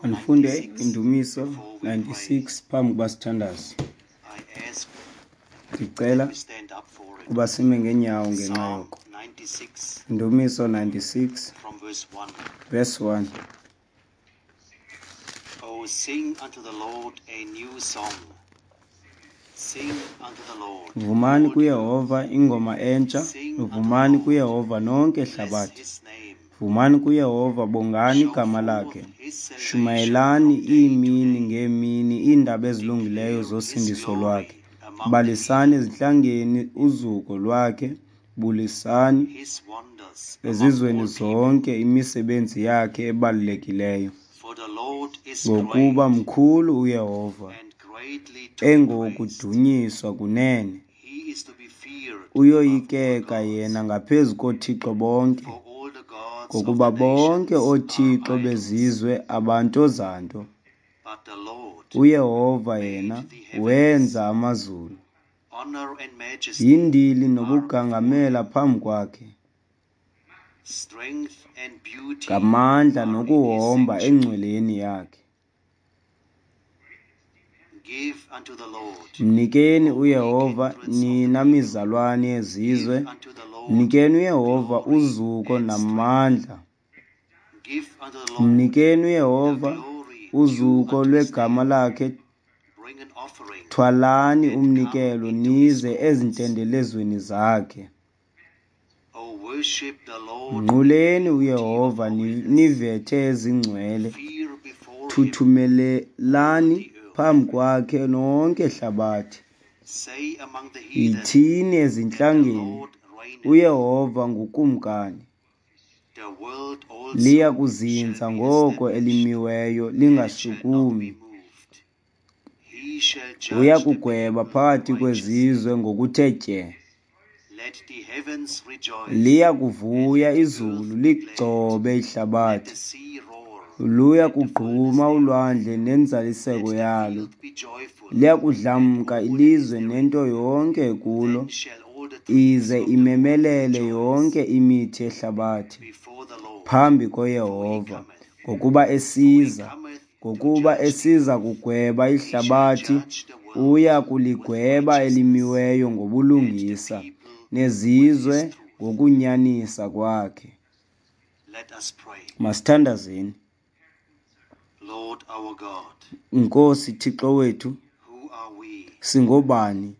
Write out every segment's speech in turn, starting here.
Andifunde Indumiso 96 phambi kuba sithandaze. Ndicela ukuba sime ngeenyawo ngenxa yoko. Indumiso 96 verse 1. Oh, sing unto the Lord a new song. Sing unto the Lord. Vumani kuYehova ingoma entsha, vumani kuYehova nonke hlabathi. Vumani kuYehova, bongani igama lakhe. Shumayelani iimini ngeemini iindaba ezilungileyo zosindiso lwakhe. Balisani ezintlangeni uzuko lwakhe, bulisani ezizweni zonke imisebenzi yakhe ebalulekileyo. Ngokuba mkhulu uYehova, engowokudunyiswa kunene. Uyoyikeka yena ngaphezu koothixo bonke, ngokuba bonke oothixo bezizwe abantozanto. UYehova yena wenza amazulu. Yindili nobugangamela phambi kwakhe, ngamandla nokuhomba engcweleni yakhe. Mnikeni uYehova, nina mizalwane yezizwe, mnikeni uYehova uzuko namandla. Mnikeni uYehova uzuko lwegama lakhe. Thwalani umnikelo nize ezintendelezweni zakhe. Mnquleni uYehova nivethe ezingcwele. Thuthumelelani phambi kwakhe nonke hlabathi. Yithini ezintlangeni, uYehova ngukumkani. Liya kuzinza ngoko elimiweyo, lingashukumi. Uya kugweba phakathi kwezizwe ngokuthe tye. Liya kuvuya izulu, ligcobe ihlabathi. Luya kugquma ulwandle nenzaliseko yalo. Liya kudlamka ilizwe nento yonke kulo, ize imemelele yonke imithi yehlabathi phambi koYehova, ngokuba esiza kugweba ihlabathi. Uya kuligweba elimiweyo ngobulungisa, nezizwe ngokunyanisa kwakhe. Masithandazeni. Nkosi Thixo wethu, singobani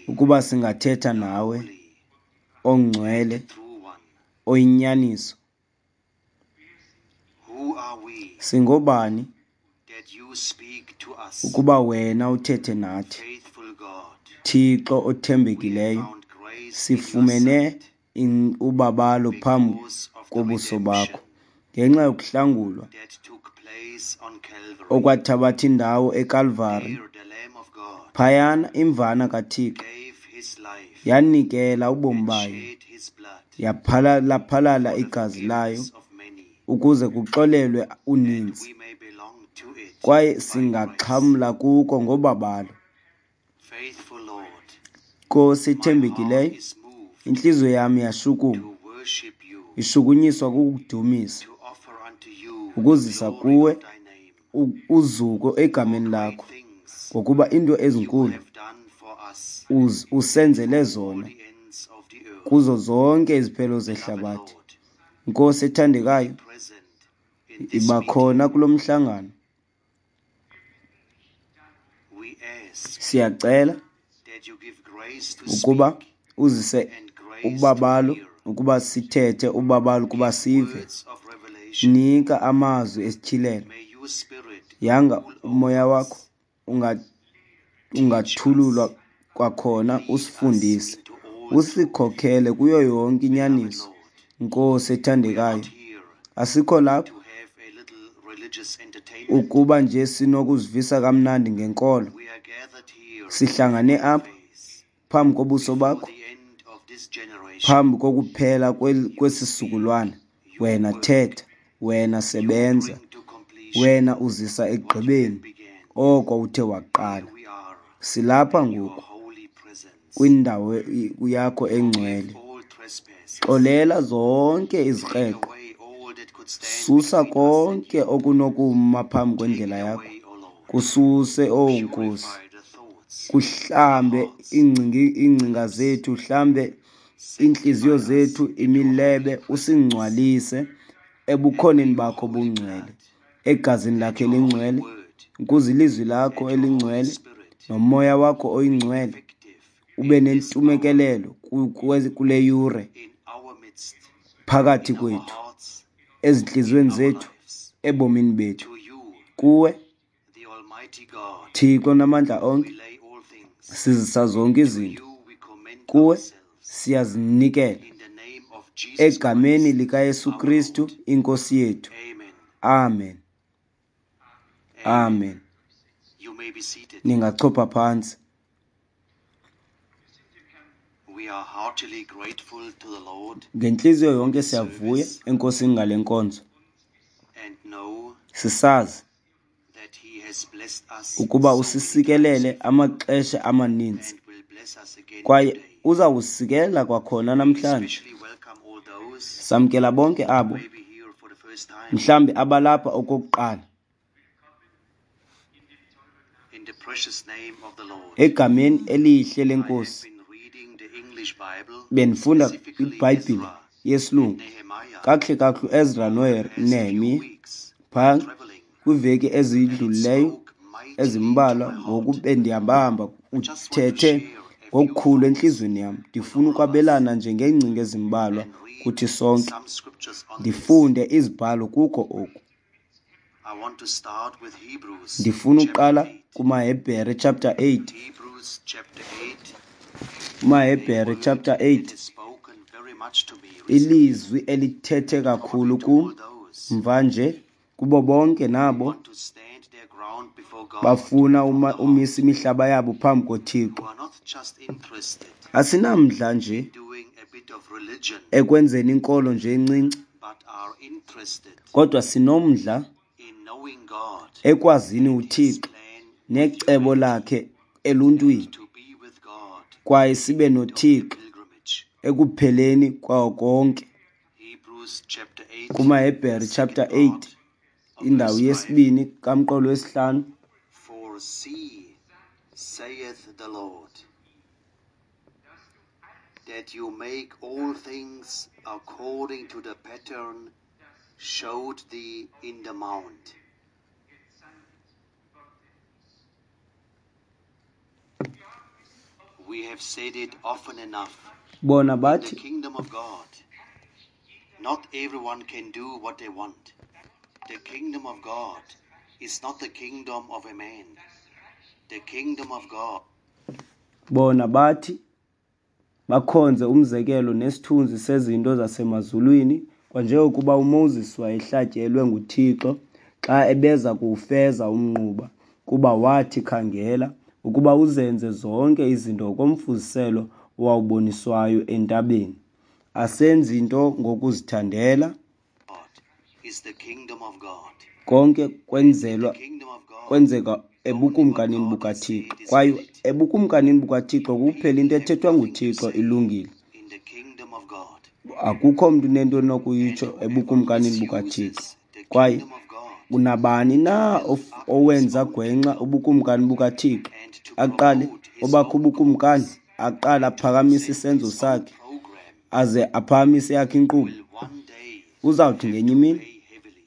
ukuba singathetha nawe, ongcwele, oyinyaniso? Singobani ukuba wena uthethe nathi? Thixo othembekileyo, sifumene ubabalo phambi kobuso bakho ngenxa yokuhlangulwa okwathabatha indawo eKalvari. Phayana imvana kaThixo yanikela ubomi bayo, yaphalala igazi layo ukuze kuxolelwe uninzi, kwaye singaxhamla kuko ngobabalo. Nkosi ethembekileyo, intliziyo yam yashukuma, ishukunyiswa kukudumisa, ukuzisa kuwe uzuko egameni lakho, ngokuba into ezinkulu usenzele zona kuzo zonke iziphelo zehlabathi. Nkosi ethandekayo, iba khona kulo mhlangano. Siyacela ukuba uzise ubabalo ukuba sithethe, ubabalo ukuba sive. Nika amazwi esityhilelo. Yanga umoya wakho ungathululwa kwakhona, usifundise, usikhokhele kuyo yonke inyaniso. Nkosi ethandekayo, asikho lapha ukuba nje sinokuzivisa kamnandi ngenkolo. Sihlangane apha phambi kobuso bakho, phambi kokuphela kwesisukulwana. Wena thetha, wena sebenza, wena uzisa ekugqibeni oko uthe waqala. Silapha ngoku kwindawo yakho engcwele. Xolela zonke izikreqo, could stand Susa between us and konke you. okunokuma phambi Take kwendlela it yakho. away, O Lord. Kususe, O Nkosi. Purify the thoughts, the Kuhlambe hearts, iingcinga lips. zethu, hlambe iintliziyo Sanctify us zethu, in your holy imilebe, presence usingcwalise and ebukhoneni may your bakho holy bungcwele, blood egazini and lakhe your holy elingcwele, word ukuze ilizwi lakho and your Holy elingcwele Spirit nomoya wakho be oyingcwele effective ube in this hour, nentumekelelo kule yure in our midst, phakathi in our kwethu, hearts, ezintliziyweni in our zethu, lives. ebomini bethu. To you, Kuwe, the Almighty God, Thixo namandla we onke, lay all things. sizisa zonke To izinto. you we commend Kuwe ourselves. siyazinikela In the name of Jesus egameni Christ, likaYesu our Kristu Lord. inkosi yethu. Amen. Amen. Amen. Amen. You may be seated. Ningachopha phantsi. We are heartily grateful to the Lord Ngentliziyo for yonke this siyavuya service enkosini ngale nkonzo. and know Sisazi that He has blessed us ukuba so many times usisikelele before amaxesha amaninzi and will bless us again kwaye today. uza kusikelela kwakhona We namhlanje. especially welcome all those Samkela bonke who abo may be here for the first time. mhlambi abalapha okokuqala In the precious name of the Lord. egameni elihle I have lenkosi. been reading the English Bible, Bendifunda specifically iBhayibhile Ezra and yesilungu Nehemiah, kakuhle kakuhle uEzra over the past few noNehemiya weeks phaa while traveling, kwiiveki and it ezidlulileyo spoke mightily to ezimbalwa my heart. ngoku bendihambahamba Just want to uthethe share a few ngokukhulu thoughts entliziyweni yam. with Ndifuna all of us ukwabelana nje ngeengcinga ezimbalwa and read kuthi sonke, some scriptures on this. ndifunde izibhalo kuko oku. I want to start with Hebrews Ndifuna chapter uqala 8. kumaHebhere chapter 8. Hebrews chapter 8, a KumaHebhere word chapter that 8, has spoken very much to me recently, ilizwi elithethe probably kakhulu to kum all those mva nje kubo bonke who nabo want to stand their ground before God bafuna from the heart, umisa imihlaba yabo phambi who koThixo. are not just interested Asinamdla nje in doing a bit of religion, ekwenzeni inkolo nje encinci, but are interested kodwa sinomdla in knowing God ekwazini and His uThixo plan with necebo humanity lakhe and eluntwini, to be with God kwaye at the sibe end of the noThixo pilgrimage. ekupheleni kwawo konke. Hebrews chapter 8, the KumaHebhere chapter second 8, part of indawo verse 5. yesibini kamqolo wesihlanu. For see, saith the Lord, that you make all things according to the pattern showed thee in the mount. We have said it often enough. Bona In the bathi kingdom of God, not everyone can do what they want. The kingdom of God is not the kingdom of a man. The kingdom of God bona bathi bakhonze umzekelo nesithunzi sezinto zasemazulwini, kwanjengokuba uMoses wayehlatyelwe nguThixo xa ebeza kuwufeza umnquba, kuba wathi, khangela ukuba uzenze zonke izinto ngokomfuziselo owawuboniswayo entabeni. Asenzi nto ngokuzithandela, is the kingdom of God. konke And in the kwenzelwa kingdom of God, kwenzeka only what ebukumkanini God has bukaThixo. said is Kwaye valid. ebukumkanini bukaThixo kuphela into People have ethethwa nothing to nguThixo say ilungile. in the kingdom of God. Akukho mntu unento And onokuyitsho whoever ebukumkanini bukaThixo. misuses the Kwaye kingdom of God unabani to na build up his owenza own gwenxa kingdom ubukumkani bukaThixo, and to aqale promote his obakhe own ubukumkani, cause aqale and to aphakamise present isenzo his own sakhe, program aze aphakamise yakhe inkqubo, will one day uzawuthi have ngenye to imini pay heavily.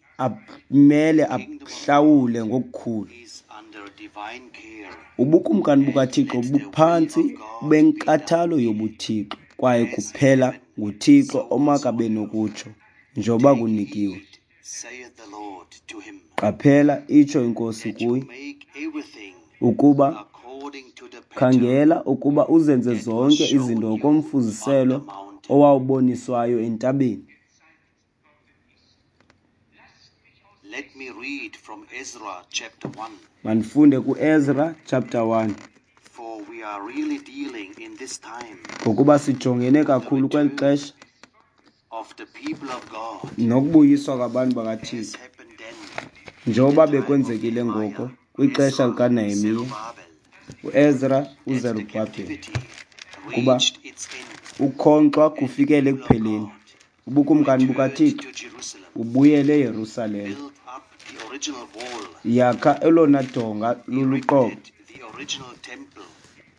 amele The kingdom of God ahlawule ngokukhulu. is under divine care, Ubukumkani and bukaThixo let the will buphantsi of God be done benkathalo yobuThixo, kwaye as in kuphela heaven, nguThixo so also omakabe on earth. nokutsho njengoba Take kunikiwe. heed, saith the Lord to him, Qaphela, itsho iNkosi that you kuye, make everything ukuba according to the pattern khangela ukuba uzenze that was zonke shown izinto you on the ngokomfuziselo mountain. owawuboniswayo entabeni. Let me read from Ezra chapter 1, Mandifunde kuEzra chapter 1, for we are really dealing in this time ngokuba sijongene with the kakhulu kweli return xesha of the people of God, nokubuyiswa kwabantu as bakaThixo, happened then in the njengoba time of bekwenzekile Nehemiah, ngoko kwixesha Ezra, likaNehemiya, Zerubbabel, uEzra, that the uZerubhabheli, captivity kuba reached its end ukhonkxwa and the kufikele people of ekupheleni, God Ubukumkani Return bukaThixo to Jerusalem. bubuyele eYerusalem. Build up the original wall. Yakha elona donga luluqobo. Erected the original temple.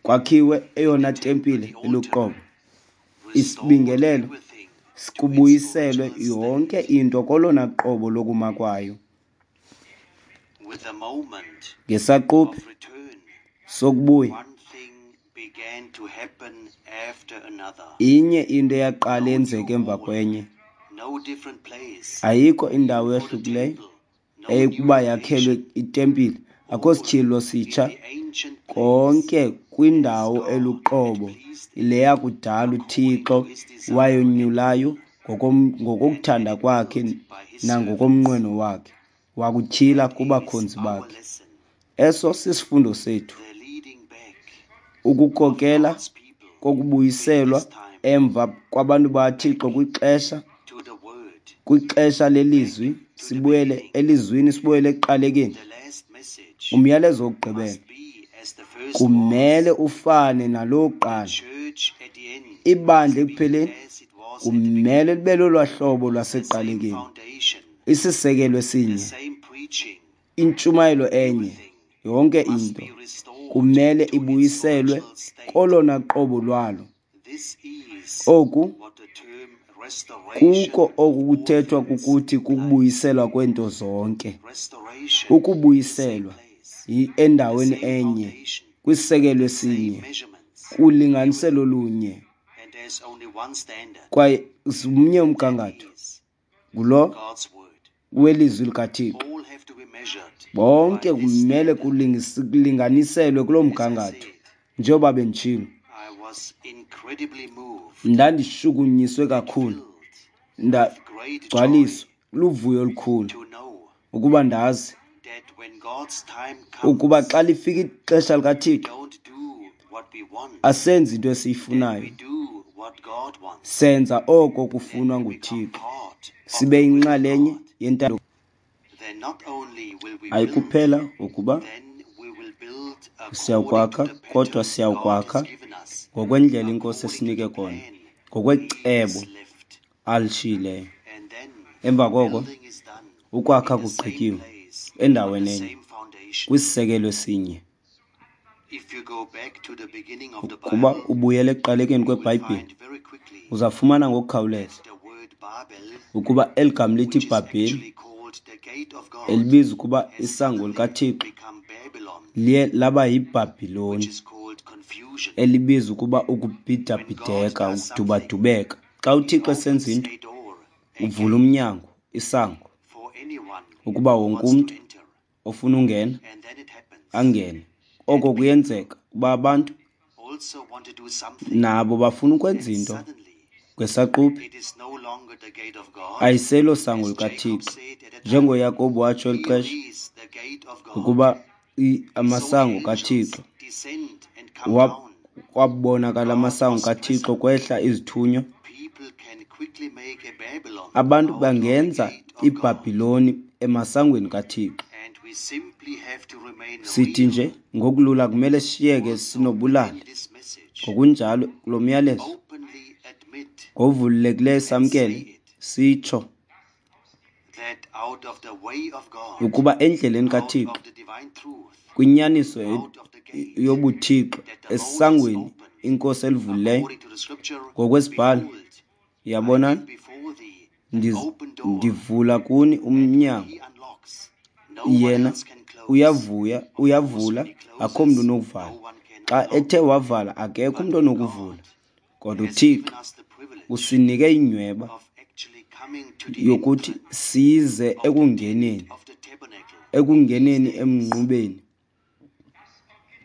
Kwakhiwe eyona tempile The altar. iluqobo. Restored Isibingelelo everything to its kubuyiselwe original yonke state. into kolona qobo lokuma kwayo. With the moment Ngesaquphe of return, sokubuya, one thing began to happen after another. inye into eyaqala No new yenzeka emva wall, kwenye. no different place Ayikho indawo for the ehlukileyo temple, no new eyekuba yakhelwe revelation. itempile, akho All sityhilelo in sitsha. the ancient place Konke as kwindawo God had eluqobo pleased him, le yakudala according uThixo to his desire and wayonyulayo will, and had ngokokuthanda it kwakhe built by his servants. nangokomnqweno wakhe, wakutyhila That is kubakhonzi our bakhe. lesson, Eso sisifundo sethu, the leading back of ukukokela God's people in kokubuyiselwa this time emva kwabantu bakaThixo back kwixesha to the word, kwixesha back lelizwi, to the sibuyele beginning. elizwini, sibuyele ekuqalekeni. The last message Umyalezo wokugqibela must be as the first was. kumele ufane nalo The wokuqala. church at the end Ibandla must be ekupheleni as it was at the kumele beginning. libe lolwaa hlobo The same lwasekuqalekeni, foundation, isisekelo the esinye, same preaching, intshumayelo enye, everything yonke must into be restored kumele to its ibuyiselwe original state. kolona qobo lwalo. This is Oku what the term restoration kuko of oku all kuthethwa things kukuthi implies. kukubuyiselwa kweento zonke. Restoration in the same Ukubuyiselwa place, the endaweni same enye, foundation, kwisisekelo the same esinye, measurements, kulinganiselo everything. lunye, And there's only one standard, kwaye mnye and that umgangatho, is ngulo God's word. welizwi likaThixo. All have to be measured by Bonke this kumele standard. kulinganiselwe kuloo As I mgangatho. said, Njengoba benditshilo, I was incredibly moved ndandishukunyiswe and kakhulu, filled with great joy ndagcwaliswa luvuyo olukhulu to know ukuba ndazi that when God's time ukuba comes, xa lifika ixesha we likaThixo don't do what we want, asenzi into that we esiyifunayo, do what God wants. senza oko Then kufunwa we become nguThixo, part of sibe the will of yinxalenye God. yentando. Then not only will we build, Ayikuphela ukuba then we will build according to siyawukwakha, the kodwa pattern God siyawukwakha has given us, ngokwendlela iNkosi according to esinike the kona, plan He ngokwecebo has left. alishiyileyo. And then Emva koko building is done ukwakha in the same kugqityiwe place, on endaweni the enye, same foundation. kwisisekelo esinye. If you go back to the beginning of the Ukuba Bible, ubuyele ekuqalekeni you will kweBhayibhile, find very quickly uzawufumana ngokukhawuleza that the word Babel, ukuba eli gama lithi which is Bhabheli, actually called the gate of God, elibiza ukuba has isango suddenly likaThixo, become Babylon, liye laba which yiBhabhiloni, is called confusion. elibiza ukuba When God ukubhidabhideka, does something, ukudubadubeka. Xa He uThixo esenza opens into, a door, a uvula gate umnyango, isango, for anyone ukuba who wonke wants to umntu enter. ofuna ungena And then it happens angene. Oko that people kuyenzeka ukuba abantu also want to do something, nabo bafuna ukwenza and into suddenly ngesaquphe, it is no longer the gate of God, ayiselo sango as Jacob likaThixo. said at the time. NjengoYakobi watsho eli Here xesha is the gate of God. ukuba He saw the amasango angels kaThixo, descend and come down. kwabonakala God amasango was kaThixo present. kwehla izithunywa. People can quickly make a Babylon Abantu out of the bangenza gate of God. iBhabhiloni emasangweni kaThixo. And we simply have to remain Sithi real nje ngokulula kumele sishiyeke also sinobulali. in this message. Ngokunjalo kulo myalezo Openly admit ngovulekileyo and say samkele it sitsho that out of the way of God, ukuba endleleni out kaThixo, of the divine truth, kwinyaniso out of the gate yobuThixo, that the Lord has esangweni opened, iNkosi elivulileyo according to the scripture, ngokwesibhalo, behold, I yabonani, give before thee an open door, ndivula kuni and when umnyango. he unlocks, no one Yena else can close. uyavuya, Of course, uyavula, when he akho mntu closes, no unokuvala. one can Xa unlock. ethe wavala, akekho But umntu onokuvula. God Kodwa has uThixo given us the privilege usinike inyweba of actually coming to the yokuthi entrance size of the tent ekungeneni, of the tabernacle in these ekungeneni days emnqubeni,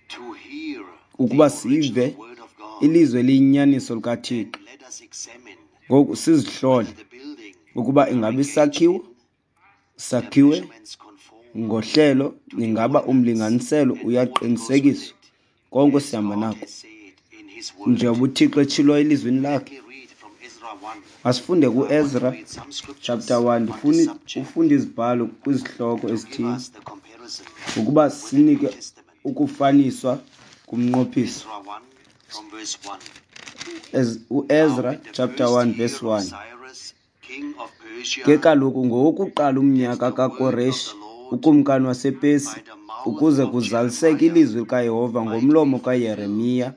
to hear the ukuba original sive word of God. ilizwi eliyinyaniso likaThixo. And let us examine Ngoku sizihlole whether the building ukuba we are ingaba engaged isakhiwo in, the sakhiwe measurements conform ngohlelo, to the ingaba ordinance umlinganiselo and all that goes with uyaqinisekiswa, it, konke as sihamba God nako has said in His word. njengoba uThixo etshilo elizwini Let lakhe. me read from Ezra 1. Masifunde I want to kuEzra read some scriptures chapter 1. on this Ndifuna subject ufunda izibhalo kwizihloko to give ezithile us the comparison ukuba with the New sinike Testament. ukufaniswa kumnqophiso. Ezra 1 from verse 1. As Now, uEzra in the chapter first 1 year verse of 1. Cyrus, Ke kaloku ngowokuqala umnyaka kaKoreshi ukumkani wasePersi, ukuze kuzaliseke ilizwi likaYehova ngomlomo kaYeremiya,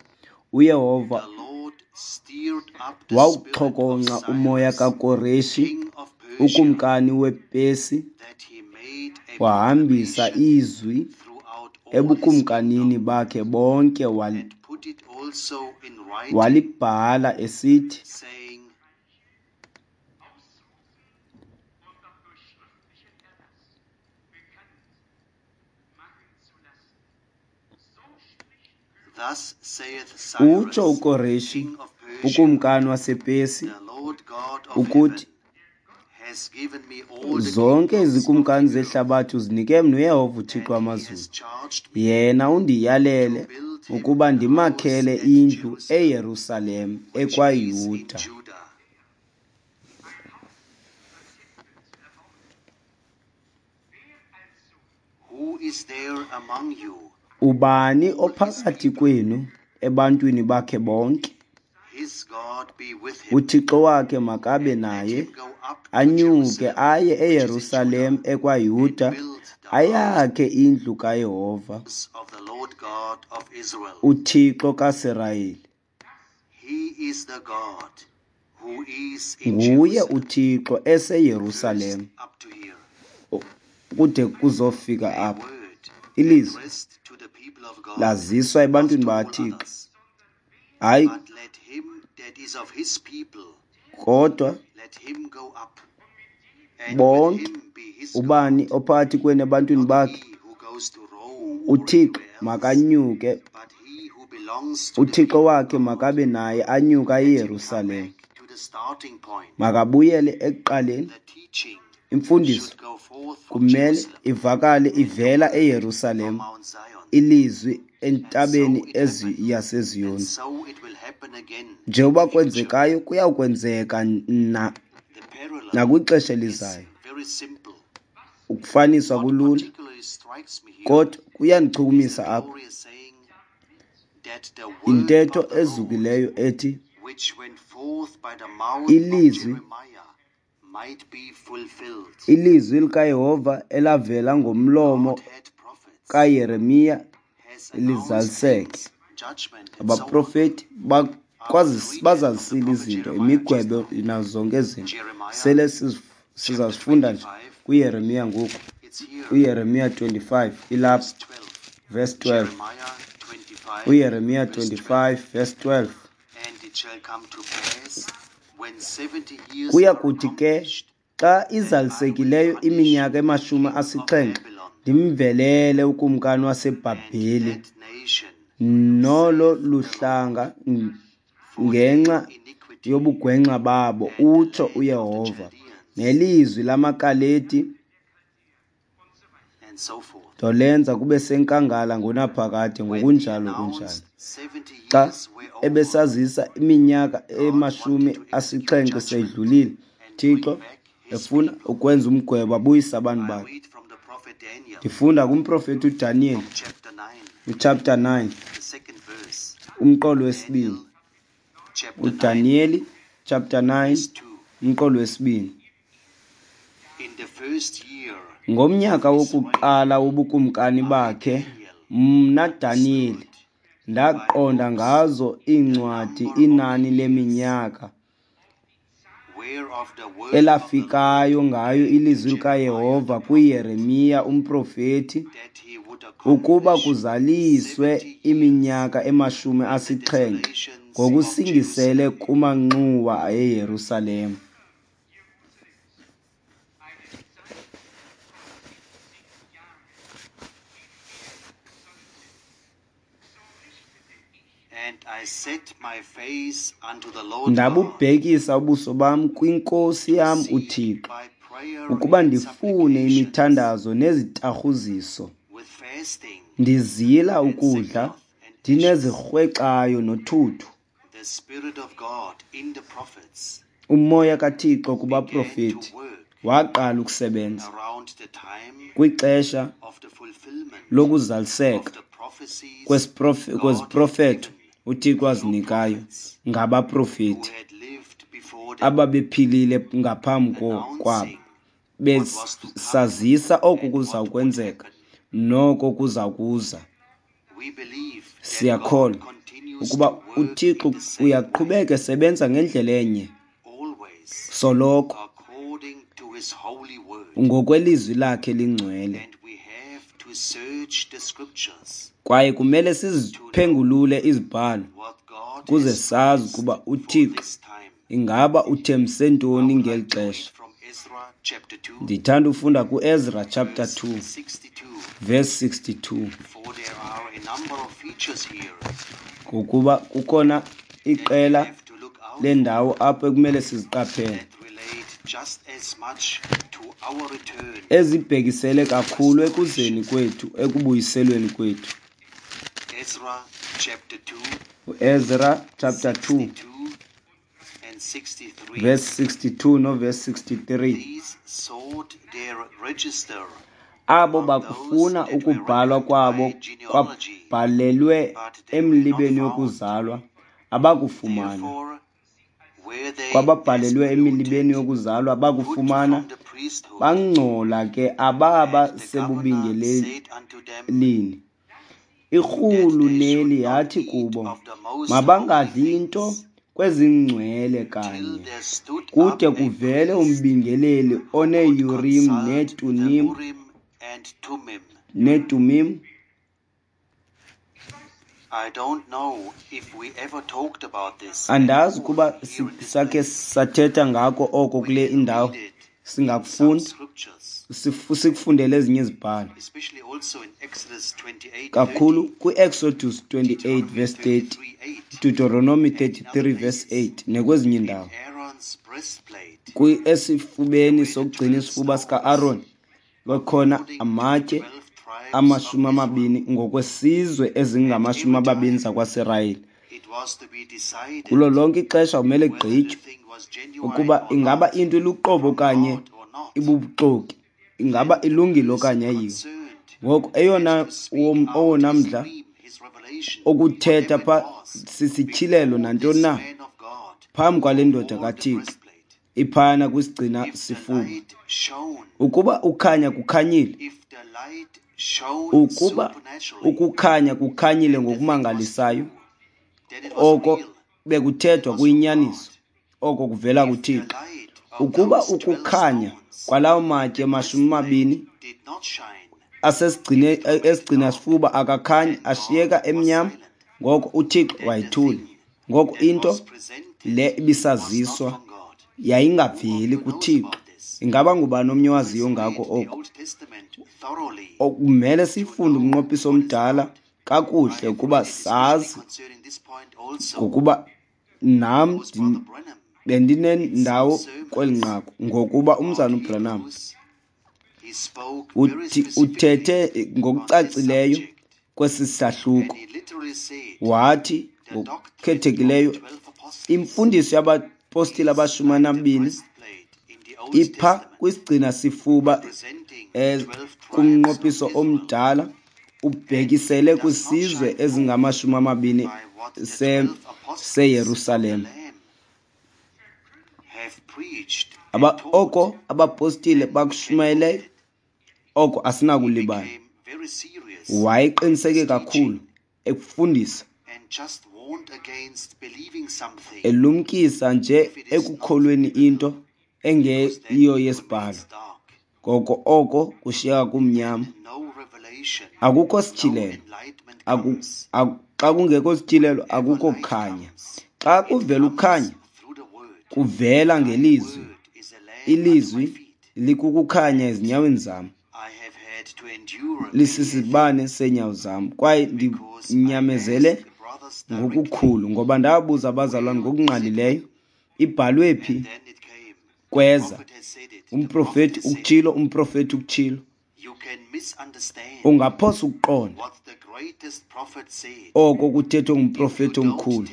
uYehova wawuxhokonxa umoya kaKoreshi ukumkani wePersi, wahambisa izwi ebukumkanini bakhe bonke, walibhala esithi: Utsho uKoreshi ukumkani wasePersi ukuthi, zonke izikumkani zehlabathi uzinike mna uYehova uThixo wamazulu. Yena undiyalele ukuba ndimakhele indlu eYerusalem ekwaYuda. Ubani ophakathi kwenu ebantwini bakhe bonke? UThixo wakhe makabe naye, anyuke aye eYerusalem ekwaYuda, ayakhe indlu kaYehova, uThixo kaSirayeli. Nguye uThixo eseYerusalem kude kuzofika apha. Ilizwi laziswa ebantwini bakaThixo, hayi kodwa bonke. Ubani ophakathi kwenu ebantwini bakhe, uThixo makanyuke, uThixo wakhe makabe naye, anyuke aye eYerusalem. Makabuyele ekuqaleni. Imfundiso kumele ivakale ivela eYerusalem, ilizwi entabeni yaseZiyoni. Njengoba kwenzekayo, kuyawukwenzeka nakwixesha elizayo. Ukufaniswa kulula, kodwa kuyandichukumisa apha intetho ezukileyo ethi ilizwi likaYehova elavela ngomlomo kaYeremiya lizaliseke. Abaprofeti bazazisile izinto, imigwebo nazo zonke izinto. Sele sizazifunda nje kuYeremiya ngoku. UYeremiya 25 ilapha, verse 12. UYeremiya 25 verse 12. Kuya kuthi ke xa izalisekileyo iminyaka ema-70, ndimvelele ukumkani waseBhabheli nolo luhlanga ngenxa yobugwenxa babo, utsho uYehova, nelizwi lamaKaledi ndolenza kube senkangala ngonaphakade, ngokunjalo kunjalo. Xa ebesazisa iminyaka ema-70 seyidlulile, Thixo efuna ukwenza umgwebo abuyise abantu bakhe. Ndifunda kumprofeti uDaniyeli, uchapter 9, umqolo wesibini. UDaniyeli chapter 9, umqolo wesibini. Ngomnyaka wokuqala wobukumkani bakhe, mna Daniyeli ndaqonda ngazo iincwadi inani leminyaka elafikayo ngayo ilizwi likaYehova kuYeremiya umprofeti, ukuba kuzaliswe iminyaka ema-70 ngokusingisele kumanxuwa eYerusalem. Ndabubhekisa ubuso bam kwiNkosi yam uThixo, ukuba ndifune imithandazo nezitarhuziso, ndizila ukudla, ndinezirhwexayo nothuthu. Umoya kaThixo kubaprofeti waqala ukusebenza kwixesha lokuzaliseka kweziprofeto uThixo azinikayo ngabaprofeti ababephilile ngaphambi kwabo, besazisa oko kuza kwenzeka noko kuza kuza. Siyakholwa ukuba uThixo uyaqhubeka esebenza ngendlela enye soloko ngokwelizwi lakhe lingcwele. Kwaye kumele siziphengulule izibhalo ukuze sazi ukuba uThixo ingaba uthembise ntoni ngeli xesha. Ndithanda ufunda kuEzra chapter 2 verse 62, ngokuba kukhona iqela lendawo apho ekumele siziqaphele ezibhekisele kakhulu ekuzeni kwethu, ekubuyiselweni kwethu. UEzra chapter 2 verse 62 no verse 63. Abo bakufuna ukubhalwa kwabo kwabhalelwe emlibeni yokuzalwa abakufumana. Kwababhalelwe emilibeni yokuzalwa abakufumana, bangcola ke ababa sebubingelelini. Irhuluneli yathi kubo, mabangadli into kwezingcwele kanye, kude kuvele umbingeleli oneUrim neTumim. Andazi kuba sakhe sathetha ngako oko kule indawo. Singakufunda, sikufundele ezinye izibhalo, kakhulu kwi-Exodus 28 verse 30, Deuteronomy 33 verse 8 nekwezinye indawo. Esifubeni sokugcina isifuba sika-Aaron kwakhona amatye 20 ngokwesizwe ezingama-20 zakwaSirayeli. Kulo lonke ixesha kumele kugqitywe ukuba ingaba into iluqobo okanye ibubuxoki, ingaba ilungile okanye ayiyo. Ngoko eyona owona mdla okuthetha pha sisityhilelo nantoni na phambi kwale ndoda kaThixo iphana kwisigcina sifuba. Ukuba ukhanya kukhanyile, ukuba ukukhanya kukhanyile ngokumangalisayo, oko bekuthethwa kuyinyaniso, oko kuvela kuThixo. Ukuba ukukhanya kwalawo matye 20 asesigcine esigcina sifuba akakhanyi, ashiyeka emnyama, ngoko uThixo wayithula. Ngoko into le ibisaziswa yayingaveli kuThixo. Ingaba ngubani omnye owaziyo ngako oko? Kumele sifunde umnqophiso omdala kakuhle ukuba sazi, ngokuba nam bendinendawo kweli nqaku, ngokuba umzana uBranham uthethe ngokucacileyo kwesi sahluko. Wathi ngokukhethekileyo imfundiso yabapostile aba-12 ipha kwisigcina sifuba kumnqophiso omdala ubhekisele kwisizwe ezingama-20 seYerusalem. Oko abapostile bakushumayeleyo, oko asinakulibala. Wayeqiniseke kakhulu ekufundisa, elumkisa nje ekukholweni into engeyiyo yesibhalo. Ngoko oko kushiyeka kumnyama. Akukho sityhilelo. Xa kungekho sityhilelo akukho kukhanya. Xa kuvela ukukhanya, kuvela ngelizwi. Ilizwi likukukhanya ezinyaweni zam, lisisibane seenyawo zam. Kwaye ndinyamezele ngokukhulu, ngoba ndabuza abazalwane ngokungqalileyo, ibhalwe phi? Kweza umprofeti ukutshilo, umprofeti ukutshilo. Ungaphosa ukuqonda oko kuthethwe ngumprofeti omkhulu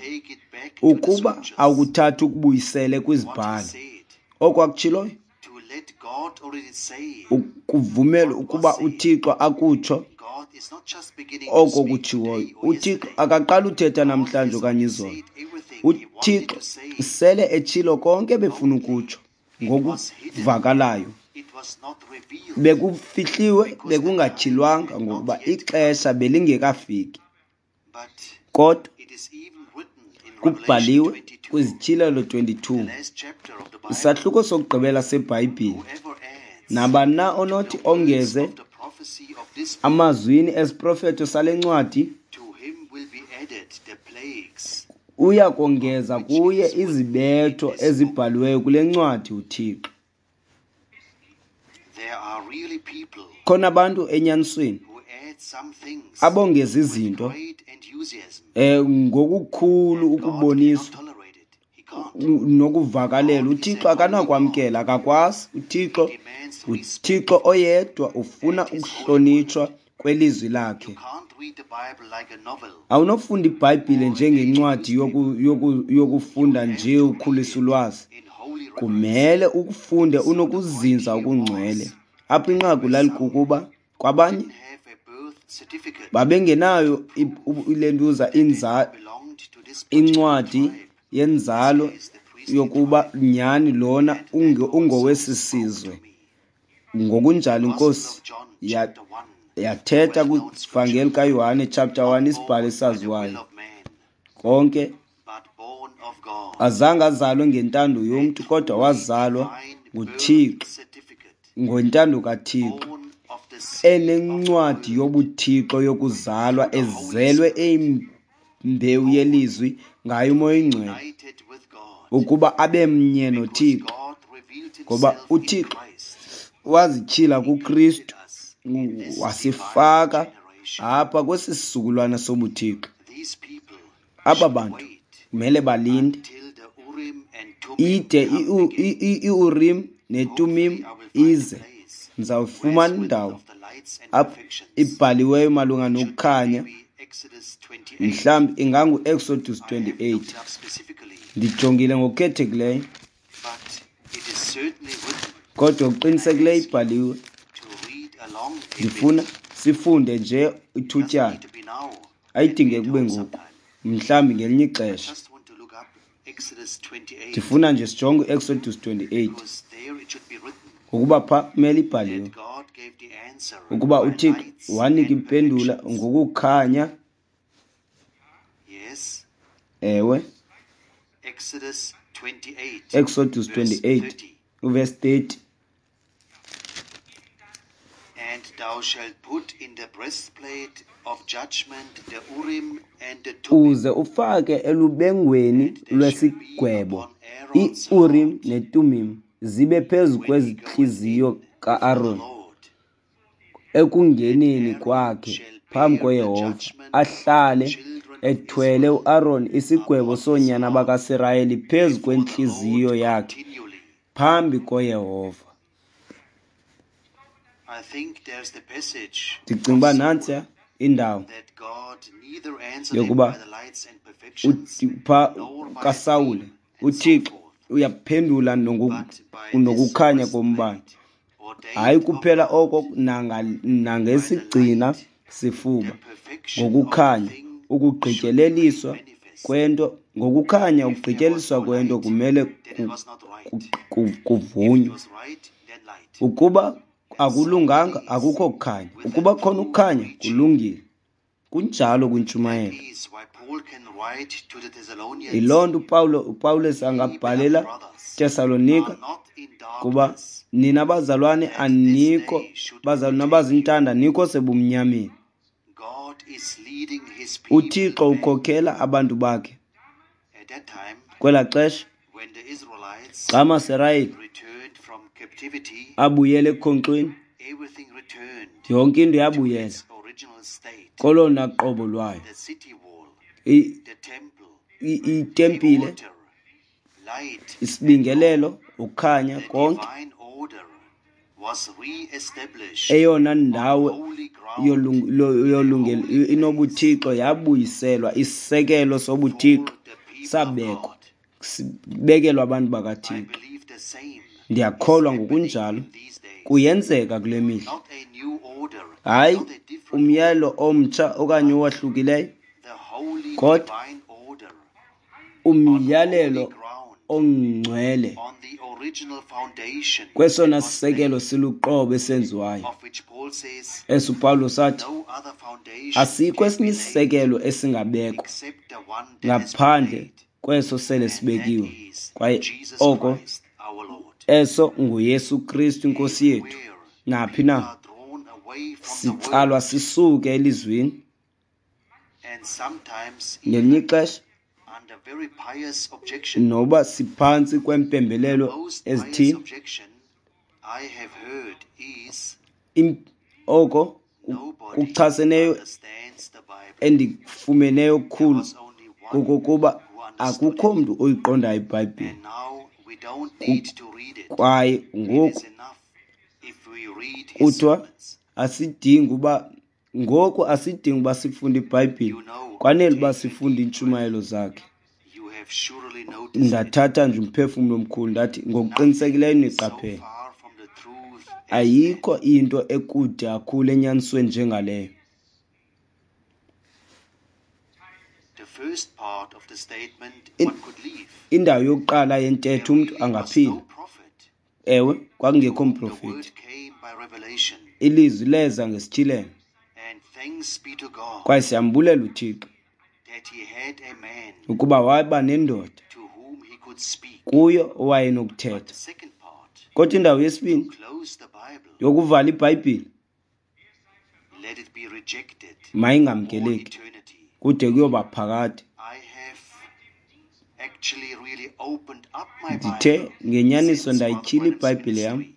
ukuba awukuthathi ukubuyisele kwizibhalo. Oko akutshiloyo, ukuvumela ukuba uThixo akutsho oko kutshiwoyo. UThixo akaqali uthetha namhlanje okanye izolo. UThixo sele etshilo konke ebefuna ukutsho ngokuvakalayo. Bekufihliwe, bekungatyhilwanga ngokuba ixesha belingekafiki. Kodwa kubhaliwe kwiZityhilelo 22, isahluko sokugqibela seBhayibhile, nabani na onothi ongeze amazwini esiprofeto sale ncwadi, uya kongeza kuye izibetho ezibhaliweyo kule ncwadi uThixo. Khona abantu enyanisweni abongeza izinto ngokukhulu ukuboniswa nokuvakalela. UThixo akanakwamkela, akakwazi. UThixo uThixo oyedwa ufuna ukuhlonitshwa kwelizwi lakhe. Awunofunda iBhayibhile njengencwadi yokufunda nje ukhulisa ulwazi. Kumele ukufunde unokuzinza okungcwele. Apha inqaku lalikukuba kwabanye babengenayo ilentuza incwadi yenzalo yokuba nyhani lona ungowesi sizwe. Ngokunjalo iNkosi yathetha kwivangeli kaYohane chapter 1, isibhalo esaziwayo konke. Azange azalwe ngentando yomntu, kodwa wazalwa nguThixo, ngentando kaThixo, enencwadi yobuThixo yokuzalwa, ezelwe eyimbewu yelizwi ngaye uMoya oyiNgcwele, ukuba abe mnye noThixo, ngoba uThixo wazityhila kuKristu, wasifaka apha kwesi sizukulwana sobuThixo. Aba bantu kumele balinde ide iUrim neTumim ize. Ndizawufumana indawo apho ibhaliweyo malunga nokukhanya, mhlawumbi ingangu-Exodus 28. Ndijongile ngokukhethekileyo, kodwa ngokuqinisekileyo ibhaliwe. Ndifuna sifunde nje ithutyana, ayidingeki kube ngoku, mhlawumbi ngelinye ixesha. Ndifuna nje sijonge uExodus 28, ngokuba pha kumele ibhaliwe ukuba uThixo wanika impendulo ngokukhanya. Ewe, Exodus 28 uverse 30. And thou shalt put in the breastplate of judgment the Urim and the Thummim. Uze ufake elubengweni lwesigwebo iUrim neTumim, zibe phezu kwezintliziyo ka-Aron ekungeneni kwakhe phambi koYehova, ahlale ethwele uAron isigwebo soonyana bakaSirayeli phezu kwentliziyo yakhe phambi koYehova. Ndicinga uba nantsiya indawo yokuba pha kaSawule uThixo uyaphendula nokukhanya kombane. Hayi kuphela oko, nangesigcina sifuba, ngokukhanya ukugqityeleliswa kwento, ngokukhanya ukugqityeliswa kwento kumele kuvunywe. Ukuba akulunganga, akukho kukhanya. Ukuba khona ukukhanya, kulungile. Kunjalo kwintshumayelo. Yiloo nto uPawulos angabhalela Tesalonika kuba nina bazalwane anikho, bazalwane abazintanda anikho sebumnyameni. UThixo ukhokhela abantu bakhe. Kwelaa xesha xa amaSirayeli abuyele ekukhonkxweni, yonke into yabuyela kolona qobo lwayo. Itempile, isibingelelo, ukukhanya, konke. Eyona ndawo inobuthixo yabuyiselwa, isisekelo sobuthixo sabekwa, sibekelwa abantu bakaThixo. Ndiyakholwa ngokunjalo kuyenzeka kule mihla. Hayi umyalelo omtsha okanye owahlukileyo, kodwa Umyalelo holy ground, ongcwele on the original foundation kwesona that was sisekelo laid, siluqobo esenziwayo. of which Paul says, Eso uPawulos athi no other foundation asikho can esinye be laid isisekelo esingabekwa except the one that has been ngaphandle laid, kweso sele and that sibekiwe, is kwaye Jesus oko Christ our Lord. eso nguYesu Kristu inkosi yethu. Everywhere Naphi people na are drawn away from the sitsalwa word, sisuke elizwini, and sometimes ngelinye even ixesha under very pious objection. noba siphantsi The kwempembelelo most pious ezithile, objection I have heard is oko nobody kuchaseneyo understands the Bible. endikufumeneyo There kukhulu was only one kokokuba who understood akukho it. mntu oyiqondayo iBhayibhile. And now we don't need to read it. Kwaye It ngoku is enough if we read his kuthiwa sermons. asidingi uba ngoku asidingi uba sifunde iBhayibhile, You know, kwanele uba take a sifunde deep breath. iintshumayelo zakhe. You have surely noticed it. Ndathatha nje umphefumlo omkhulu ndathi Nothing ngokuqinisekileyo is so niqaphele, far from the truth as that. ayikho into ekude kakhulu enyanisweni njengaleyo. The first part of the statement one could leave. Indawo yokuqala There yentetho umntu really was no angaphila. prophet Ewe, to kwakungekho whom the mprofeti. word came by revelation. Ilizwi leza ngesityhilelo, And thanks be to God kwaye siyambulela uThixo that he had a man ukuba waba nendoda to whom he could speak. kuyo But owayenokuthetha. the second part, Kodwa indawo to yesibini close the Bible, yokuvala iBhayibhile let it be rejected for mayingamkeleki eternity. kude kuyoba phakade. I have actually really opened up my Ndithe Bible ngenyaniso since Brother ndayityhila Branham's iBhayibhile yam ministry.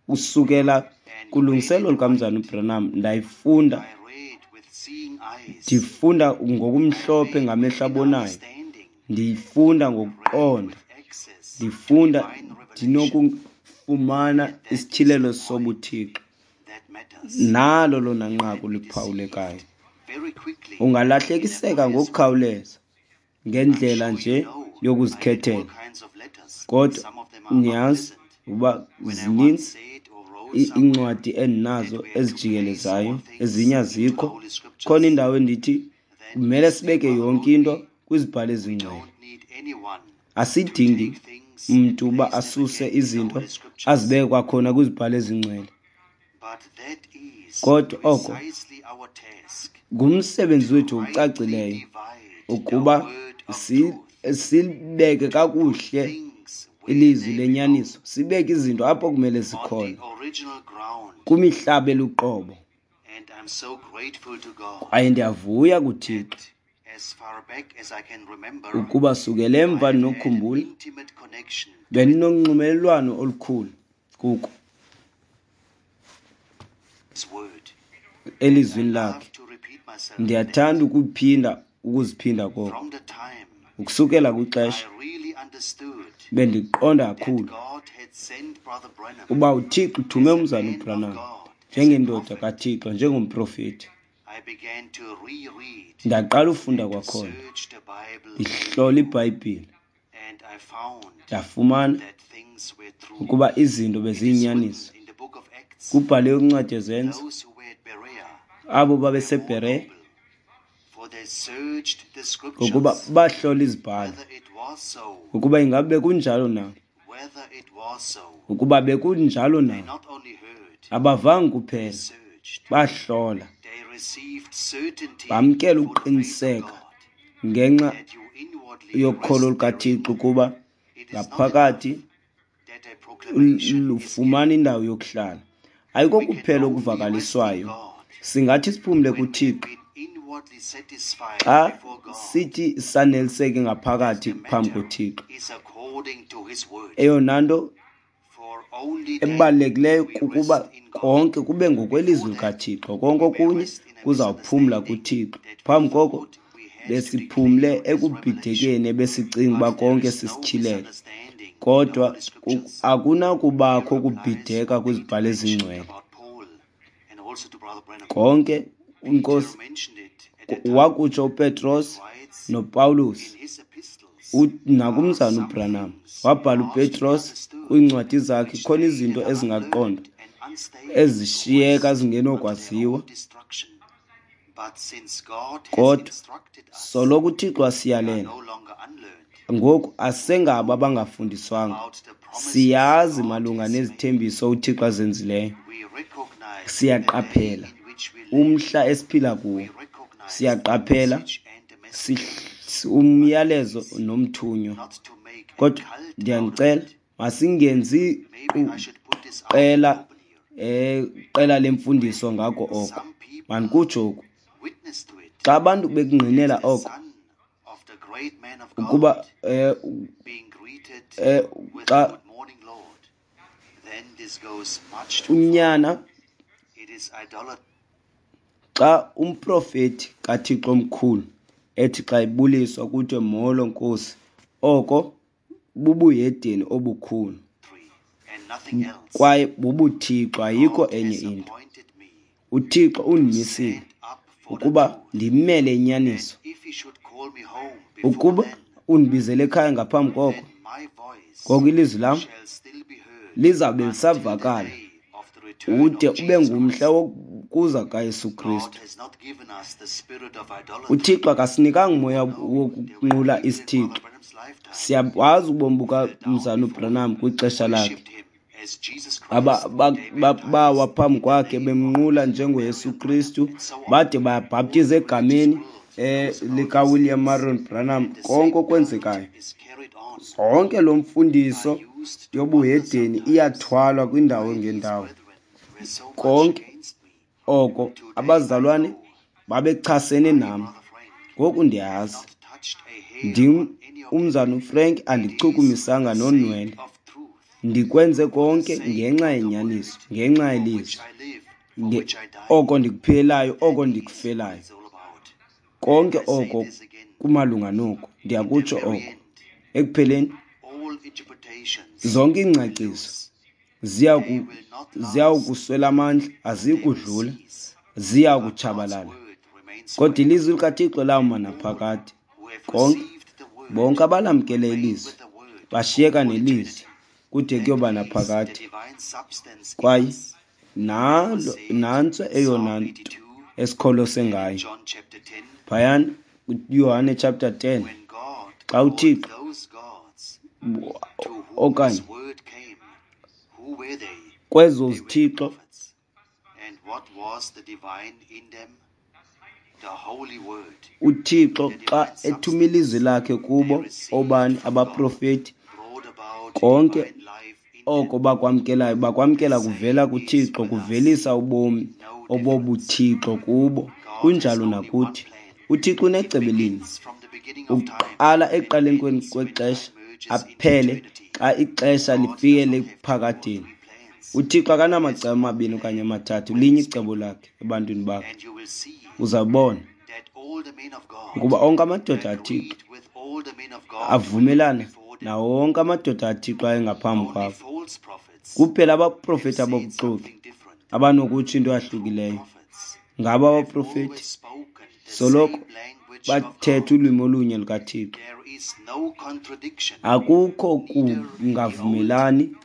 usukela And read kulungiselelo it lukamzana right. uBranham, ndayifunda I read with seeing eyes. ndifunda I ngokumhlophe read with ngamehlo inner abonayo, understanding. ndiyifunda Read ngokuqonda, with access to ndifunda divine revelation. ndinokufumana And that is the isityhilelo point sobuThixo. that matters. Nalo lona You nqaku can be liphawulekayo. deceived very quickly in a Ungalahlekiseka pious way. ngokukhawuleza I'm ngendlela sure you nje know I get all yokuzikhethela, kinds of letters. kodwa Some of them are niyazi unpleasant. uba When I once zininzi said or wrote somewhere iincwadi that endinazo we are to place all ezijikelezayo, things ezinye into the azikho. Holy Khona Scriptures, indawo endithi then kumele this dear sibeke brother yonke wrote into me, kwizibhalo we ezingcwele. don't need anyone to Asidingi take things and mntu uba place them asuse again in the izinto Holy Scriptures. azibeke kwakhona kwizibhalo ezingcwele. But that is Kodwa oko precisely our task, ngumsebenzi to wethu rightly ocacileyo divide the ukuba word of truth, silibeke to put kakuhle things where ilizwi they belong, lenyaniso, sibeke izinto apho kumele on the zikhona, original ground. kumihlaba eluqobo. And I'm so grateful to God Kwaye ndiyavuya kuThixo that as far back as I can remember, ukuba sukela I emva have had an ndinokukhumbula intimate connection to it. bendinonxumelelwano olukhulu kuko His word. And I elizwini love lakhe. to repeat myself in that. Ndiyathanda ukuphinda ukuziphinda koko. From the time Ukusukela kwixesha I really understood bendiqonda that kakhulu God had sent Brother Branham uba uThixo uthume as a umzana man of uBranham God, as a njengendoda prophet, kaThixo, njengomprofeti, I began to reread ndaqala ufunda and to kwakhona, search the Bible ndihlola anew, iBhayibhile, and I found ndafumana that things were true. ukuba izinto It is written beziyinyaniso. in the book of Acts, Kubhaliwe kwincwadi yeZenzo, those who were at Berea abo were more babeseBhereya noble, for they searched the ngokuba scriptures bahlola izibhalo whether it was so, ukuba ingabe bekunjalo na, whether it was so. ukuba bekunjalo They na. not only heard, Abavanga they kuphela, searched. bahlola, They received certainty bamkela for the faith of ukuqiniseka God, ngenxa that you inwardly yokholo rest lukaThixo therein. ukuba It is not enough ngaphakathi that a proclamation is lufumana given. indawo yokuhlala. Ayiko We can kuphela only rest in okuvakaliswayo. God Singathi siphumle when we have kuThixo been inwardly satisfied xa before God sithi saneliseke that ngaphakathi the phambi matter koThixo. is according to His word. Eyona nto For only then ebalulekileyo we kukuba rest in God. konke kube ngokwelizwi Before that, likaThixo, konke we may okunye rest in a kuzawuphumla misunderstanding kuThixo. that we Phambi koko thought we had to besiphumle declare as revelation. ekubhidekeni ebesicinga uba But there konke is no sisityhilelo, misunderstanding in the kodwa Holy Scriptures. akunakubakho Here applies kubhideka what Peter kwizibhalo mentioned ezingcwele. about Paul and also to Brother Branham. Konke Peter inkosi mentioned it at that time wakutsho uPetros and writes noPawulos in his epistles uthi are nakumzana some uBranham. things Wabhala hard to be uPetros understood, kwiincwadi zakhe which khona they izinto that are ezingaqondwa unlearned and unstable to ezishiyeka rest unto their zingenokwaziwa. own destruction. But since God has Kodwa instructed us, soloko uThixo we are asiyalela, no longer unlearned. Ngoku asengabo abangafundiswanga. Siyazi malunga nezithembiso uThixo azenzileyo. Siyaqaphela umhla esiphila kuwo. Siyaqaphela umyalezo nomthunywa. Kodwa ndiyanicela masingenzi qela qela lemfundiso ngako oko. Mandikutsho oku. Xa abantu bekungqinela oko ukuba xa unyana xa umprofeti kaThixo omkhulu ethi xa ebuliswa kuthiwe molo Nkosi, oko bubuhedeni obukhulu kwaye bubuthixo, ayikho enye into. UThixo undimisile ukuba ndimele inyaniso. Ukuba undibizele ekhaya ngaphambi koko, ngoko ilizwi lam lizawube lisavakala ude ube ngumhla wokuza kaYesu Kristu. UThixo akasinikanga umoya wokunqula isithixo. Siyawazi ubomi bukaMzalwana uBranham kwixesha lakhe. Bawa phambi kwakhe bemnqula njengoYesu Kristu, bade bayabhaptiza egameni likaWilliam Marion Branham. Konke okwenzekayo, zonke lo mfundiso yobuhedeni iyathwalwa kwindawo ngendawo. Konke oko abazalwane babechasene nam. Ngoku ndiyazi ndim umzana uFrank, andichukumisanga nonwele. Ndikwenze konke ngenxa yenyaniso, ngenxa yelizwi. Oko ndikuphilelayo, oko ndikufelayo. Konke oko kumalunga noku. Ndiyakutsho oko. Ekupheleni, zonke iingcaciso ziya kuswela amandla, aziyi kudlula, ziya kutshabalala. Kodwa ilizwi likaThixo lawuma naphakade. Konke, bonke abalamkele ilizwi bashiyeka nelizwi kude kuyoba naphakade. Kwaye nalo nantso eyona nto esikholose ngayo. Phayana uYohane chapter 10, xa uThixo okanye kwezo zithixo uThixo xa ethuma ilizwi lakhe kubo, obani abaprofeti, konke oko bakwamkelayo bakwamkela kuvela kuThixo, kuvelisa ubomi obobuthixo kubo. Kunjalo nakuthi. UThixo unecebo elinye. Uqala ekuqaleni kwexesha aphele xa ixesha lifike ekuphakadeni. UThixo akanamacebo amabini okanye amathathu, linye icebo lakhe ebantwini bakhe. Uzawubona ukuba onke amadoda aThixo avumelana nawo wonke amadoda aThixo ayengaphambi kwabo. Kuphela abaprofeti abobuxoki abanokutsho into eyahlukileyo. Ngabo abaprofeti soloko bathetha ulwimi olunye lukaThixo. Akukho kungavumelani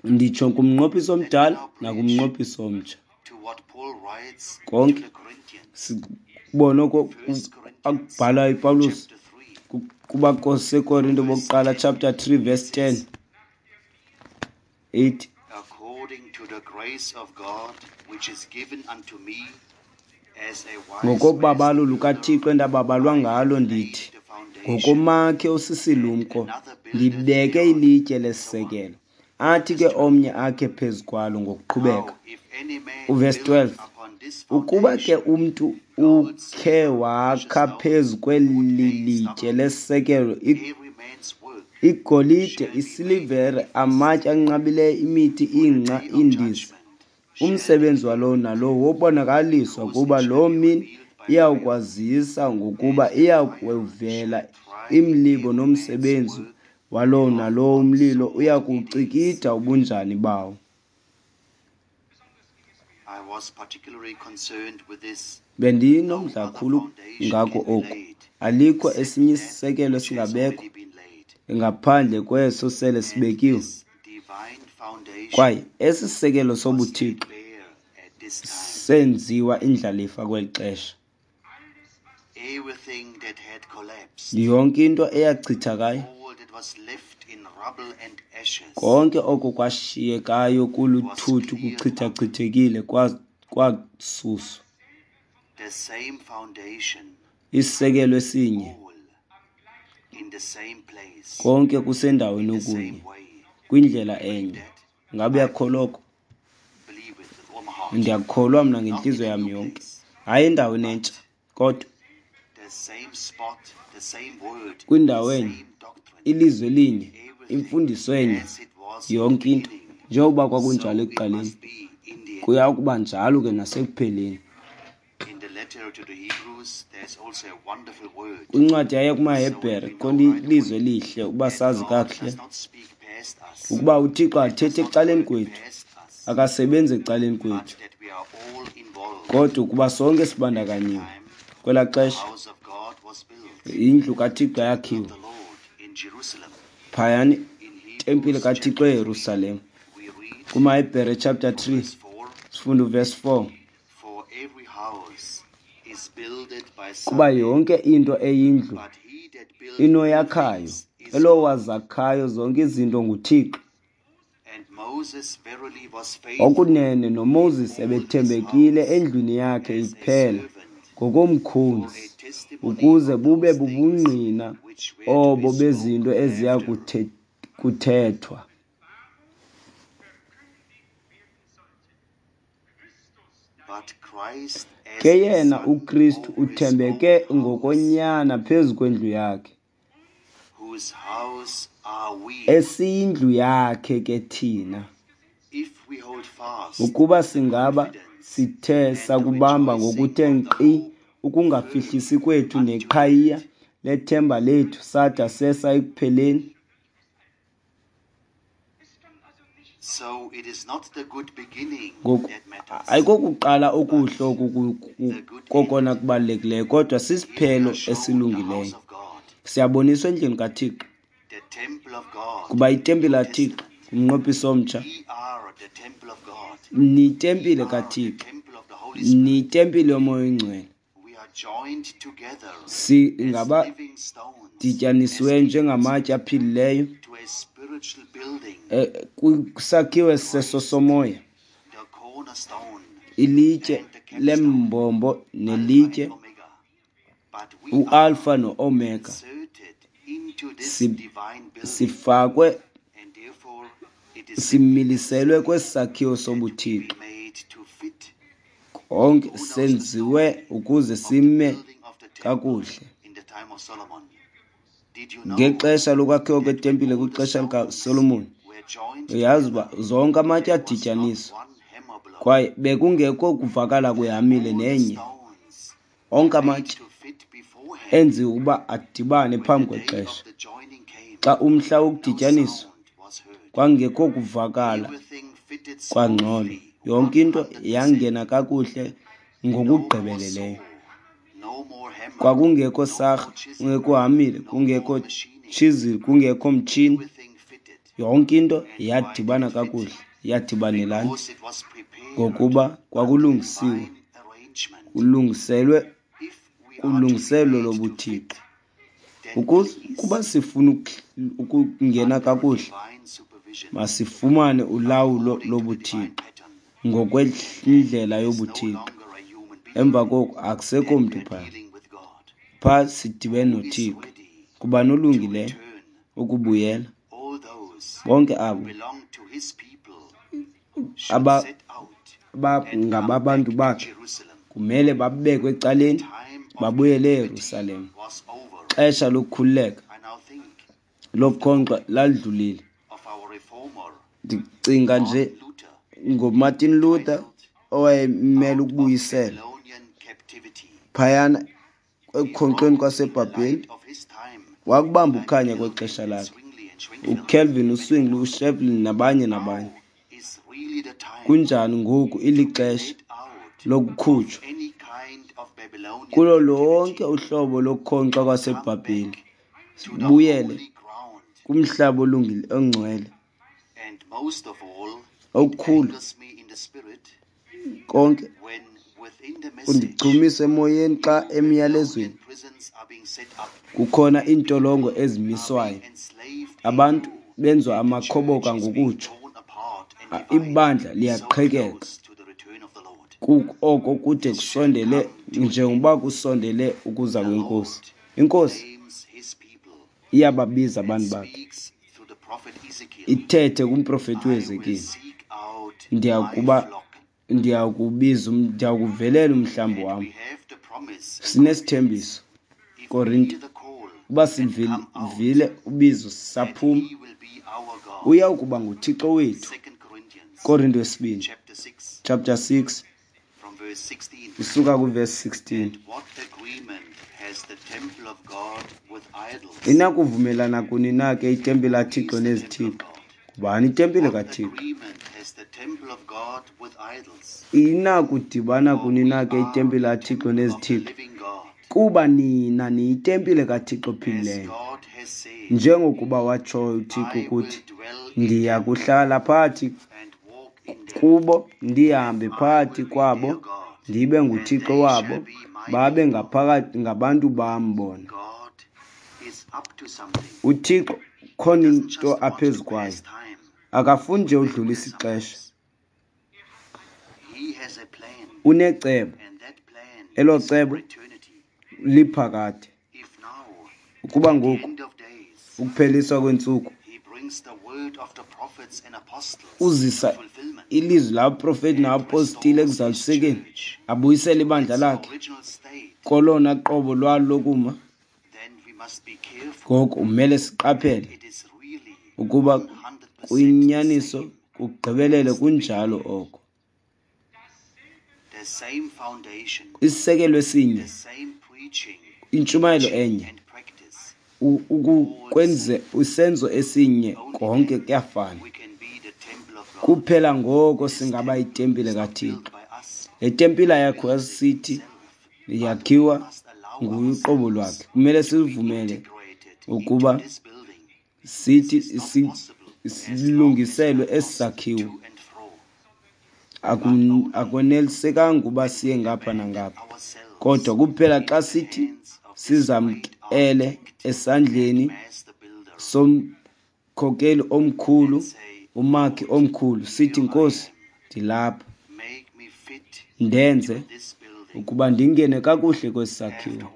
nditsho kumnqophiso omdala nakumnqophiso omtsha. Konke sibona oko akubhalayo uPawulos kubaseKorinto bokuqala chapter 3 verse 10 8. Ngokobabalo lukaThixo endababalwa ngalo ndithi, ngokomakhe osisilumko ndibeke ilitye lesisekelo, athi ke omnye akhe phezu kwalo ngokuqhubeka. Uvesi 12, ukuba ke umntu ukhe wakha phezu kweli litye lesisekelo igolide, isilivere, amatye anqabileyo, imithi, ingca, iindiza, umsebenzi walowo nalowo wobonakaliswa, kuba loo mini iyawukwazisa, ngokuba iyakuvela imlibo nomsebenzi walowo nalowo umlilo uyakucikida ubunjani bawo. Bendinomdla kakhulu ngako oku. Alikho esinye isisekelo esingabekwa ngaphandle kweso sele sibekiwe. Kwaye esi sisekelo sobuthixo senziwa indlalifa kweli xesha. Yonke into eyachithakayo, konke oko kwashiyekayo kuluthuthu kuchithachithekile kwasuswa. Isisekelo esinye, konke kusendaweni okunye, kwindlela enye. Ngabe uyakholwa oko? Ndiyakholwa mna ngentliziyo yam yonke. Hayi endaweni entsha, kodwa kwindawo enye, ilizwi elinye, imfundiso enye, yonke into. Njengokuba kwakunjalo ekuqaleni, kuya kuba njalo ke nasekupheleni. Kwincwadi yaye kumaHebhere khona ilizwi elihle ukuba sazi kakuhle ukuba uThixo athethi ecaleni kwethu, akasebenzi ecaleni kwethu, kodwa ukuba sonke sibandakanyiwe. Kwelaa xesha indlu kaThixo yakhiwa phayana, itempile kaThixo eYerusalem. KumaHebhere chapter 3 sifunda uverse 4. Kuba yonke into eyindlu inoyakhayo, elowo wazakhayo zonke izinto nguThixo. Okunene noMoses ebethembekile endlwini yakhe iphela ngokomkhonzi, ukuze bube bubungqina obo bezinto eziya kuthethwa. Ke yena uKristu uthembeke ngokonyana phezu kwendlu yakhe, esiyindlu yakhe ke thina, ukuba singaba sithe sakubamba ngokuthe nkqi ukungafihlisi kwethu neqhayiya lethemba lethu sada sesa ekupheleni. Ngoku ayikokuqala okuhle oku kokona kubalulekileyo, kodwa sisiphelo esilungileyo. Siyaboniswa endlini kaThixo, kuba itempile kaThixo ngumnqophiso omtsha. Niyitempile kaThixo, niyitempile yoMoya oyiNgcwele. Singabadityanisiweyo njengamatye aphilileyo kwisakhiwo sesosomoya, ilitye lembombo nelitye uAlpha noOmega. Sifakwe, similiselwe kwesi sakhiwo sobuthixo. Konke senziwe ukuze sime kakuhle. Ngexesha lokwakhiwa kwetempile kwixesha likaSolomon, uyazi uba zonke amatye adityaniswa kwaye bekungekho kuvakala kwehamile nenye. Onke amatye enziwe ukuba adibane phambi kwexesha. Xa umhla wokudityaniswa, kwangekho kuvakala kwangxolo. Yonke into yangena kakuhle ngokugqibeleleyo. Kwakungekho sarha, kungekho hamile, kungekho chisel, kungekho mtshini. Yonke into yadibana kakuhle, yadibanelana ngokuba kwakulungisiwe, kulungiselwe ulungiselo lobuthixo. Ukuze kuba sifuna ukungena kakuhle, masifumane ulawulo lobuthixo ngokwendlela yobuthixo. Emva koko akusekho mntu phaa. Phaa sidibene noThixo. Kuba nolungileyo ukubuyela. Bonke abo abangababantu bakhe kumele babekwe ecaleni babuyele eYerusalem. Xesha lokukhululeka lokukhonkxwa lalidlulile. Ndicinga nje ngoMartin Luther owayemele ukubuyisela phayana ekukhonkxweni kwaseBhabheli. Wakubamba ukukhanya kwexesha lakhe. uCalvin, uZwingli, uSchefflin nabanye nabanye. Kunjani ngoku ilixesha lokukhutshwa kulo lonke uhlobo lokukhonkxwa kwaseBhabheli, sibuyele kumhlaba olungile ongcwele. Okukhulu konke Undichumisa emoyeni xa emyalezweni kukhona iintolongo ezimiswayo, abantu benziwa amakhoboka ngokutsho, ibandla liyaqhekeka. Oko kude kusondele njengoba kusondele ukuza kweNkosi. INkosi iyababiza abantu bakhe, ithethe kumprofeti uHezekile, ndiyakubiza, ndiyakuvelela umhlambi wam. Sinesithembiso, Korinte, uba sivile ubizo saphuma, uya kuba nguThixo wethu. Korinte wesibini chapter 6 usuka kuvesi 16. Inakuvumelana kuni na ke itempile kaThixo nezithixo? Ngubani itempile kaThixo? Inakudibana kuni na ke itempile kaThixo nezithixo? Kuba nina niyitempile kaThixo ophilileyo, njengokuba watshoyo uThixo ukuthi, ndiya kuhlala phakathi kubo, ndihambe phakathi kwabo, ndibe nguThixo wabo, babe ngaphakathi ngabantu bam bona. UThixo khona into aphezu kwayo, akafuni nje udlulisa ixesha. Unecebo, elo cebo liphakade. Ukuba ngoku ukupheliswa kweentsuku uzisa ilizwi labaprofeti nabapostile ekuzalisekeni, abuyisele ibandla lakhe kolona qobo lwalo lokuma, ngoko umele siqaphele ukuba kuyinyaniso kugqibelele kunjalo oko. Isisekelo esinye, intshumayelo enye, ukwenze isenzo esinye, konke kuyafana. Kuphela ngoko singaba yitempile kaThixo. Le tempile ayakhiwa sithi, yakhiwa nguye uqobo lwakhe. Kumele sivumele ukuba sithi silungiselwe esi sakhiwo. Akonelisekanga ukuba siye ngapha nangapha, kodwa kuphela xa sithi sizamkele esandleni somkhokeli omkhulu, umakhi omkhulu, sithi, Nkosi, ndilapha, ndenze ukuba ndingene kakuhle kwesi sakhiwo.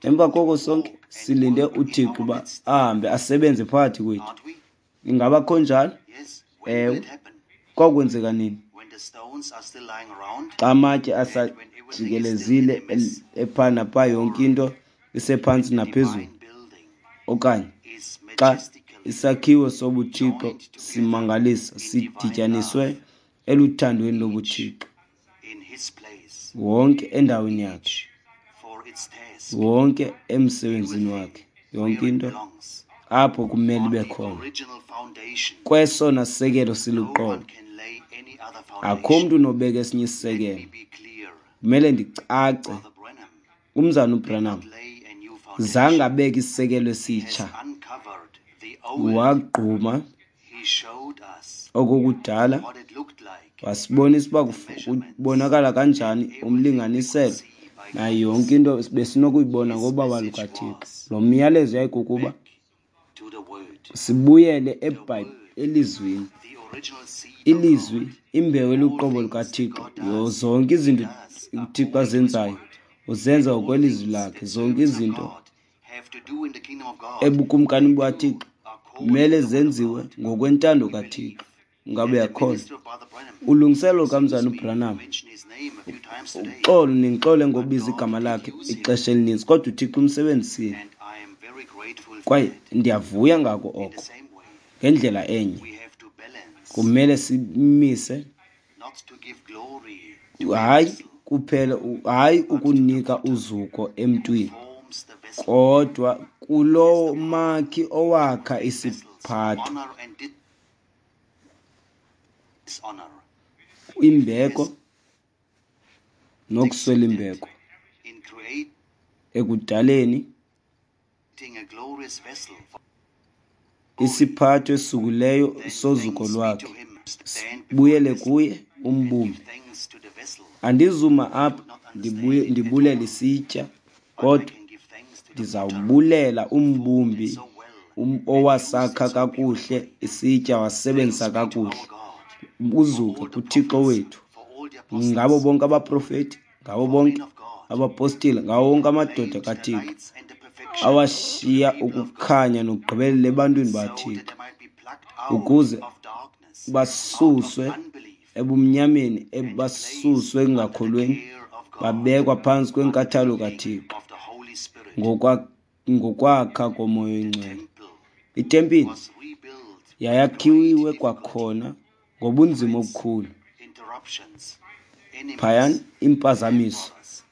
Emva koko sonke silinde uThixo uba ahambe asebenze phakathi kwethu. Ingaba kho njalo? Ewe. Kwakwenzeka nini? Xa amatye asajikelezile epha napha, yonke into isephantsi naphezulu, okanye xa isakhiwo sobuthixo simangalisa sidityaniswe eluthandweni lobuthixo, wonke endaweni yakhe, wonke emsebenzini wakhe, yonke into apho kumele ibe khona kwesona sisekelo siluqobo. Akho mntu unobeka esinye isisekelo. Kumele ndicace, umzana uBranham zange abeke isisekelo esitsha, wagquma okokudala, wasibonisa uba kubonakala kanjani umlinganiselo nayo yonke into besinokuyibona ngobaba lukaThixo. Lo myalezo yayikukuba sibuyele elizwini, ilizwi, imbewu eluqobo lukaThixo. Zonke izinto uThixo azenzayo uzenza ngokwelizwi lakhe. Zonke izinto ebukumkani bukaThixo kumele zenziwe ngokwentando kaThixo. Ngabe uyakholwa? Ulungiselelo lukamzana uBranham, uxolo ningixole ngokubiza igama lakhe ixesha elininzi, kodwa uThixo umsebenzisile, kwaye ndiyavuya ngako oko. Ngendlela enye kumele simise, hayi kuphela, hayi ukunika uzuko emntwini, kodwa kulo makhi owakha isiphatho, imbeko nokuswela imbeko ekudaleni isiphatho esisukileyo sozuko lwakhe, sibuyele kuye umbumbi, Andizuma I apha would not understand it at ndibulela all. isitya, But I kodwa can give thanks to the potter ndizawubulela who formed it umbumbi so well and used owasakha it so kakuhle beautifully. isitya, wasebenzisa Thanks be to our kakuhle. God for Uzuko all the kuThixo prophets, wethu, for all the ngabo apostles, bonke abaprofeti, ngabo for men bonke of God abapostile, ngawo who wonke amadoda proclaimed the kaThixo lights and the perfection to the awashiya people of God, ukukhanya nokugqibelela ebantwini so that baThixo, they might be plucked out ukuze of darkness, out of basuswe unbelief, ebumnyameni, and basuswe placed under the ekungakholweni, care of God, babekwa phantsi under the kwenkathalo leading kaThixo of the Holy Spirit. ngokwakha koMoya The oyiNgcwele. temple Itempile was rebuilt with great yayakhiwe difficulty, kwakhona ngobunzima threats, obukhulu. interruptions, Phayana enemies, iimpazamiso, emperors.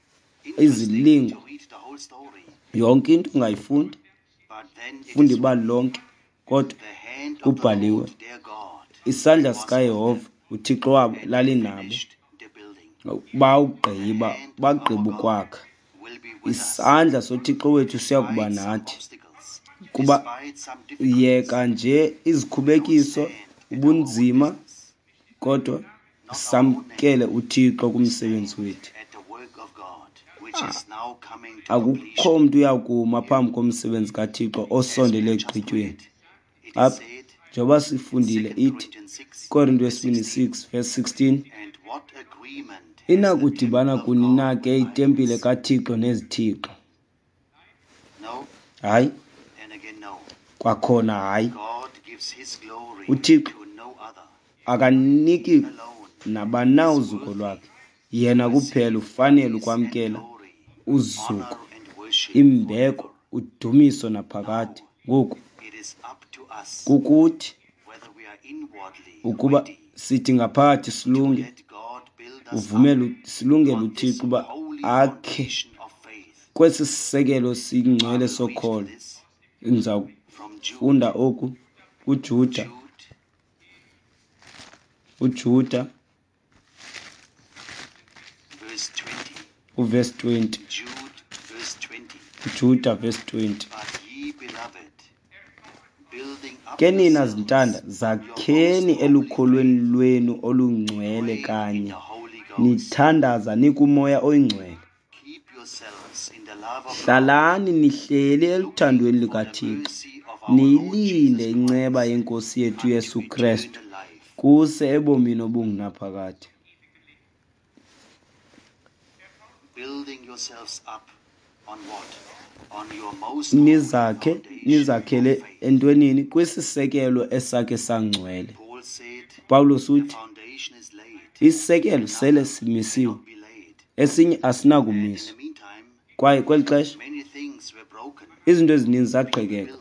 Interesting izilingo, to read the whole story, yonke into ungayifunda, but then it funda is ibali written, lonke, kodwa the hand of the kubhaliwe, Lord their God isandla was with sikaYehova them, uThixo wabo and they lalinabo. finished the building. The Bawugqiba, hand of our bagqiba God ukwakha. will be with us, Isandla soThixo wethu siya kuba despite some nathi. obstacles, Kuba despite some difficulties. yeka nje We don't izikhubekiso, stand at our own ubunzima, business, kodwa not our own name. samkele uThixo We kumsebenzi stand wethu. at the work of God, which is now coming to Akukho completion. mntu uyakuma phambi komsebenzi kaThixo As we osondele have just ekugqityweni. read, it is Apha said njengoba in sifundile 2 ithi Corinthians 6, Korinto verse wesibini 16, 6 verse 16, and what agreement has the inakudibana temple of kuni God na with ke itempile idols? kaThixo nezithixo? No, Hayi, and again no. kwakhona hayi. God gives his glory UThixo to no other. akaniki He alone nabani na is uzuko worthy lwakhe. Yena to kuphela receive ufanele praise and ukwamkela glory, uzuko, honor and worship imbeko, forever. udumiso naphakade. Now Ngoku it is up to us kukuthi whether we are inwardly ukuba ready sithi ngaphakathi to silunge, let God build us up uvumele silungele on this uThixo uba holy akhe foundation of faith. kwesi sisekelo I singcwele will read sokholo. this Ndizawufunda from Jude. oku kuJuda, Jude uJuda verse 20. uverse 20, Jude verse 20. uJuda verse 20. But ye beloved, building up Ke nina yourselves zintanda, on your most zakheni holy elukholweni faith, lwenu olungcwele pray in kanye, the Holy Ghost. nithandaza nikuMoya oyiNgcwele. Keep yourselves in the love of God, Hlalani nihleli looking eluthandweni for the likaThixo, mercy of our Lord niyilinde Jesus inceba Christ yeNkosi yethu unto Yesu Kristu eternal life. kuse ebomini obungunaphakade. Building yourselves up on what? On your most holy Nizakhe foundation of nizakhele faith. entwenini kwisisekelo esakhe sangcwele. Paul said, Pawulos the uthi foundation is laid, isisekelo sele another simisiwe, cannot be laid. esinye And in asinakumiswa. the meantime, Kwaye kweli xesha many things were broken, izinto ezininzi people zaqhekeka, built,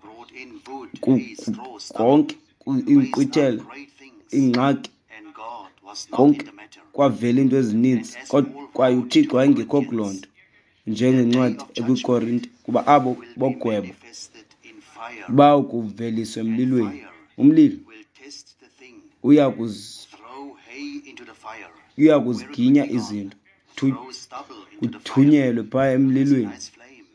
brought in wood, hay, straw, stubble, konke raised up inkqwithela, great things, iingxaki, and God was not in konke the matter. kwavela iinto And ezininzi, as kodwa Paul kwaye wrote to uThixo the wayengekho kuloo Corinthians, nto, the day njengencwadi of judgment ekwiKorinte, kuba abo will be bogwebo manifested in fire, bawukuveliswa and emlilweni. fire Umlilo will test the thing. uya Throw hay into the fire. Where it will kuziginya be gone. izinto, Throw stubble into the fire. kuthunyelwe phaa There's a emlilweni. nice flame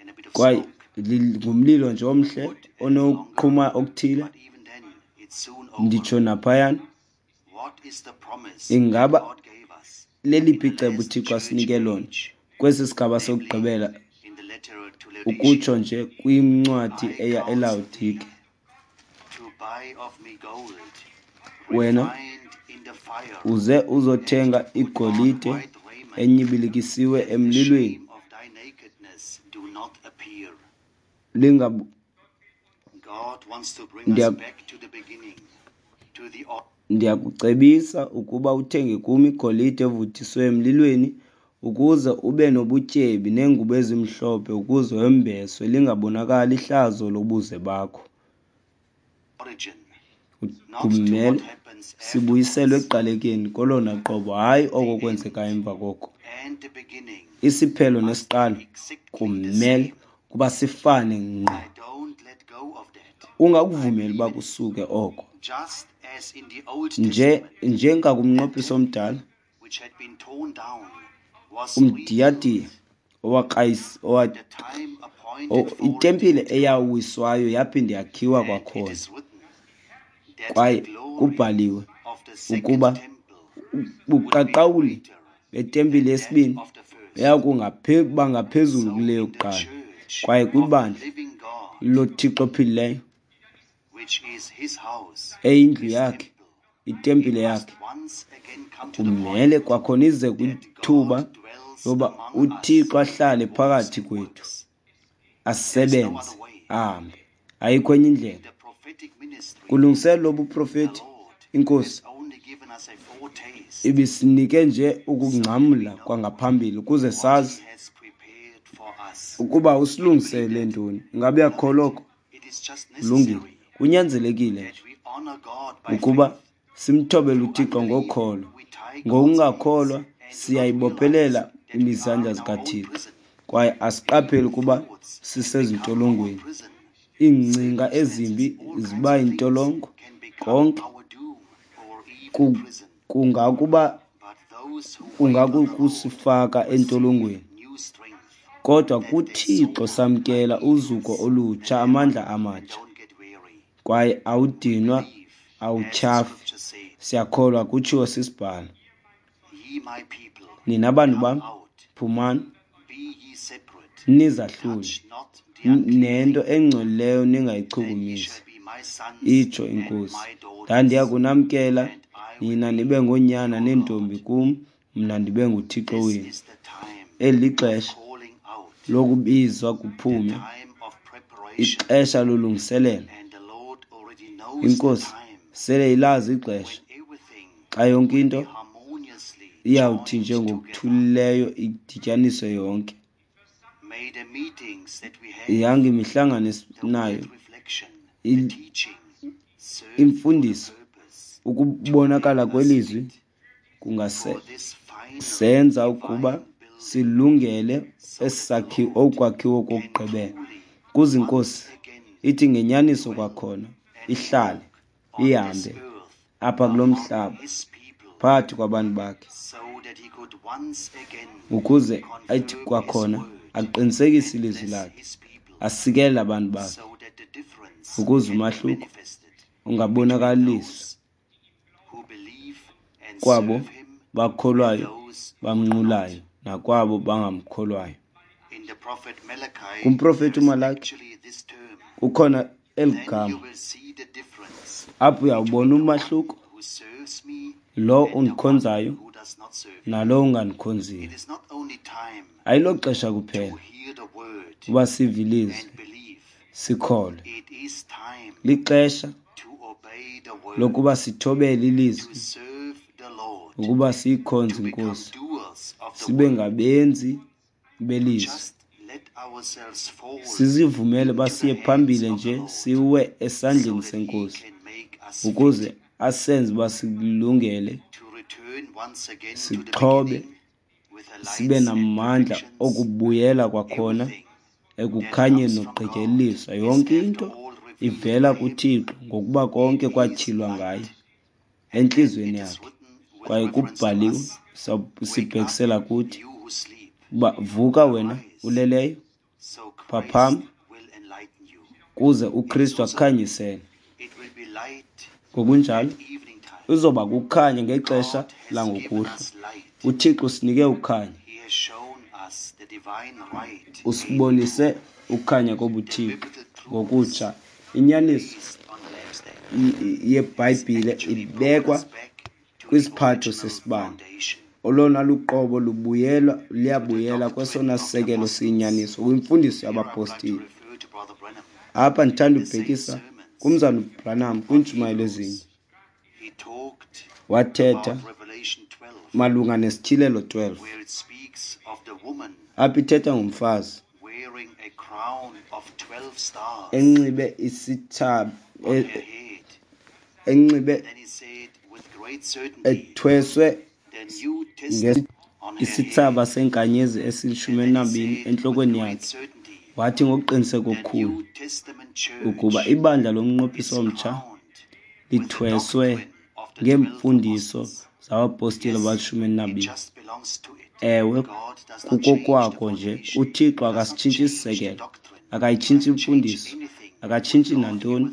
and a bit of Kwaye smoke. ngumlilo nje omhle Wood a little longer, onokuqhuma okuthile, but even then it's soon over. nditsho naphayana. What is the promise that Ingaba God gave us in leliphi the icebo last uThixo church asinike lona age, kwesi sigaba namely sokugqibela, in the letter to Laodicea? ukutsho nje kwincwadi I eya counsel eLawodike? thee to buy of me gold Wena refined in the fire, uze and to uzothenga put on igolide white raiment, enyibilikisiwe that the emlilweni, shame of thy nakedness do not appear. lingab God wants to bring us Ndiya back to the beginning, to the ndiyakucebisa ukuba uthenge kum igolide evuthiswe emlilweni, ukuze ube nobutyebi, neengubo ezimhlophe, ukuze wembeswe, lingabonakali ihlazo lobuze bakho. origin, not to what Kumele happens sibuyiselwe afterwards. ekuqalekeni kolona qobo, hayi oko The kwenzeka end emva koko. and the beginning Isiphelo must be nesiqalo exactly the kumele same. kuba sifane ngqo. I don't let go of that. I Ungakuvumeli uba believe it. kusuke oko. Just as in the Old Nje Testament, the njengakumnqophiso temple omdala, which had been torn down was umdiyadiya rebuilt owakrayis owa at the time appointed for it itempile in time. eyawiswayo yaphinda yakhiwa And it kwakhona. is written that the Kwaye glory kubhaliwe of the second ukuba temple Ubuqaqawuli betempile yesibini buya ngaphezulu kule yokuqala. Kwaye kwibandla loThixo ophilileyo, eyindlu yakhe, itempile yakhe, kumele kwakhona ize kwithuba loba uThixo ahlale phakathi kwethu, asebenze, ahambe. Ayikho enye indlela. Kulungiselelo lobuprofeti, iNkosi ibisinike nje ukungcamla kwangaphambili ukuze sazi ukuba usilungiselele ntoni. Ingaba uyakholwa oko? Kulungile. Kunyanzelekile nje ukuba simthobele uThixo ngokholo. Ngokungakholwa siyayibophelela imizandla zikaThixo kwaye asiqapheli ukuba sisezintolongweni. Iingcinga ezimbi ziba yintolongo konke kungakuba kungakukusifaka entolongweni. Kodwa kuThixo samkela uzuko olutsha, amandla amatsha, kwaye awudinwa, awutyhafi. Siyakholwa kutshiwo sisibhalo. Nina bantu bam, phumani, nizahlule, nento engcolileyo ningayichukumisi, itsho iNkosi. Ndandiya kunamkela nina nibe ngoonyana neentombi kum, mna ndibe nguThixo wenu. Eli lixesha lokubizwa kuphume, ixesha lolungiselelo. INkosi sele ilazi ixesha xa yonke into iyawuthi nje ngokuthulileyo idityaniswe yonke. Yanga imihlangano esinayo, imfundiso, ukubonakala kwelizwi kungasenza ukuba silungele okwakhiwo kokugqibela, ukuze iNkosi ithi ngenyaniso kwakhona ihlale ihambe apha kulo mhlaba phakathi kwabantu bakhe, ukuze athi kwakhona aqinisekise ilizwi lakhe, asikelele abantu bakhe, ukuze umahluko ungabonakaliswa kwabo bakholwayo bamnqulayo nakwabo bangamkholwayo. Kumprofeti uMalaki kukhona eli gama, apho uyawubona umahluko, lo undikhonzayo nalo ungandikhonziyo. Ayiloxesha kuphela uba sive ilizwi sikholwe, lixesha lokuba sithobele ilizwi, ukuba siyikhonze iNkosi, sibe ngabenzi belizwi. Sizivumele uba siye phambili nje siwe esandleni seNkosi, ukuze asenze uba silungele, sixhobe, sibe namandla okubuyela kwakhona ekukhanyeni nokugqityeliswa. Yonke into ivela kuThixo, ngokuba konke kwatyhilwa ngaye entliziyweni yakhe, kwaye kubhaliwe sibhekisela kuthi uba vuka wena uleleyo, phaphama, kuze uKristu akukhanyisele. Ngokunjalo izoba kukhanya ngexesha langokuhlwa. uThixo usinike ukhanya, usibonise ukukhanya kobuThixo ngokutsha. Inyaniso yeBhayibhile ibekwa kwisiphatho sesibane. Olona luqobo lubuyelwa liyabuyela kwesona sisekelo siyinyaniso kwimfundiso yabapostile. Apha ndithanda ubhekisa kumzana uBranham kwiintshumayelo ezinye. Wathetha malunga neSityhilelo 12, apho ithetha ngomfazi enxibe isithsaba, enxibe ethweswe isithsaba seenkanyezi esili-12 entlokweni yakhe. Wathi ngokuqiniseka okukhulu ukuba ibandla lomnqophiso omtsha lithweswe ngeemfundiso zabapostile abali-12. Ewe, kukokwako nje. UThixo akasitshintshi isisekelo, akayitshintshi imfundiso, akatshintshi nantoni.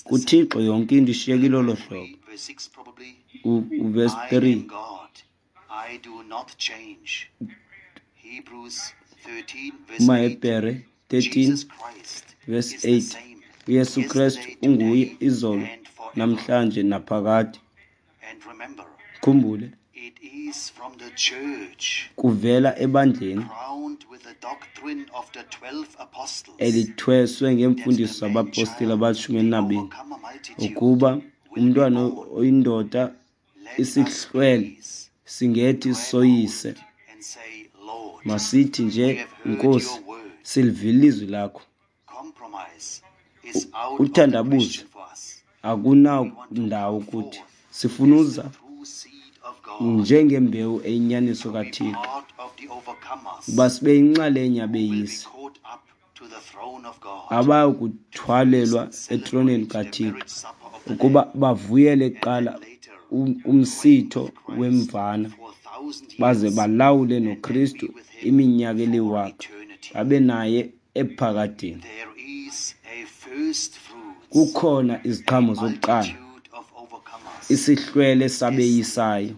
KuThixo yonke into ishiyekile olo hlobo. Uverse I 3. am God. I do not change. Hebrews 13 verse 8. KumaHebhere 13 Jesus Christ verse is the 8. same UYesu Krestu yesterday, unguye today, izolo, and forever. namhlanje naphakade. And remember, Khumbule, it is from the church kuvela ebandleni crowned with the doctrine of the 12 apostles elithweswe that ngeemfundiso the man zabapostile child, abashumi the elinabini, overcomer multitude, ukuba will be umntwana born. oyindoda Let us isihlwele please singethi grab soyise. hold and say, Lord, Masithi we nje, have heard Nkosi, your word. silivile ilizwi lakho. Compromise is out of the Uthandabuzo question for us. We want to akunandawo come kuthi. forth Sifuna as the uza true seed of God, njengembewu eyinyaniso to be kaThixo, part of the overcomers uba sibe yinxalenye who will be yabeyisi caught up to the throne of God, abayakuthwalelwa to first etroneni celebrate the kaThixo, marriage supper of the ukuba Lamb, bavuyele and kuqala then later reign umsitho with Christ wemvana, for 1,000 baze years, balawule and then be noKristu with him iminyaka for eliwaka, eternity. babe naye ephakadeni. There is a first fruits, Kukhona a iziqhamo zokuqala, multitude of overcomers isihlwele destined sabeyisayo,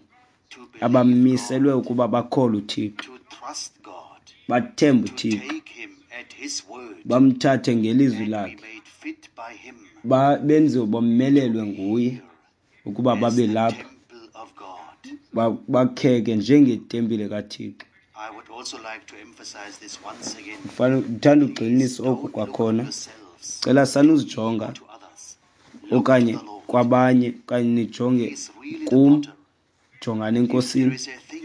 to believe abamiselwe God, ukuba bakholwe uThixo, to trust God, bathembe to uThixo, take him at his word, bamthathe ngelizwi and be lakhe, made fit by him benziwe to bomelelwe be nguye here ukuba as babe the lapha, temple of God. bakheke njengetempile kaThixo. I would also like to emphasize this once again. Ndithanda Please ugxininisa oku don't look at kwakhona. yourselves Cela to me sanuzijonga or to others. Look to okanye the Lord. kwabanye, okanye He nijonge is really the kum, potter. jongani If there eNkosini. is a thing,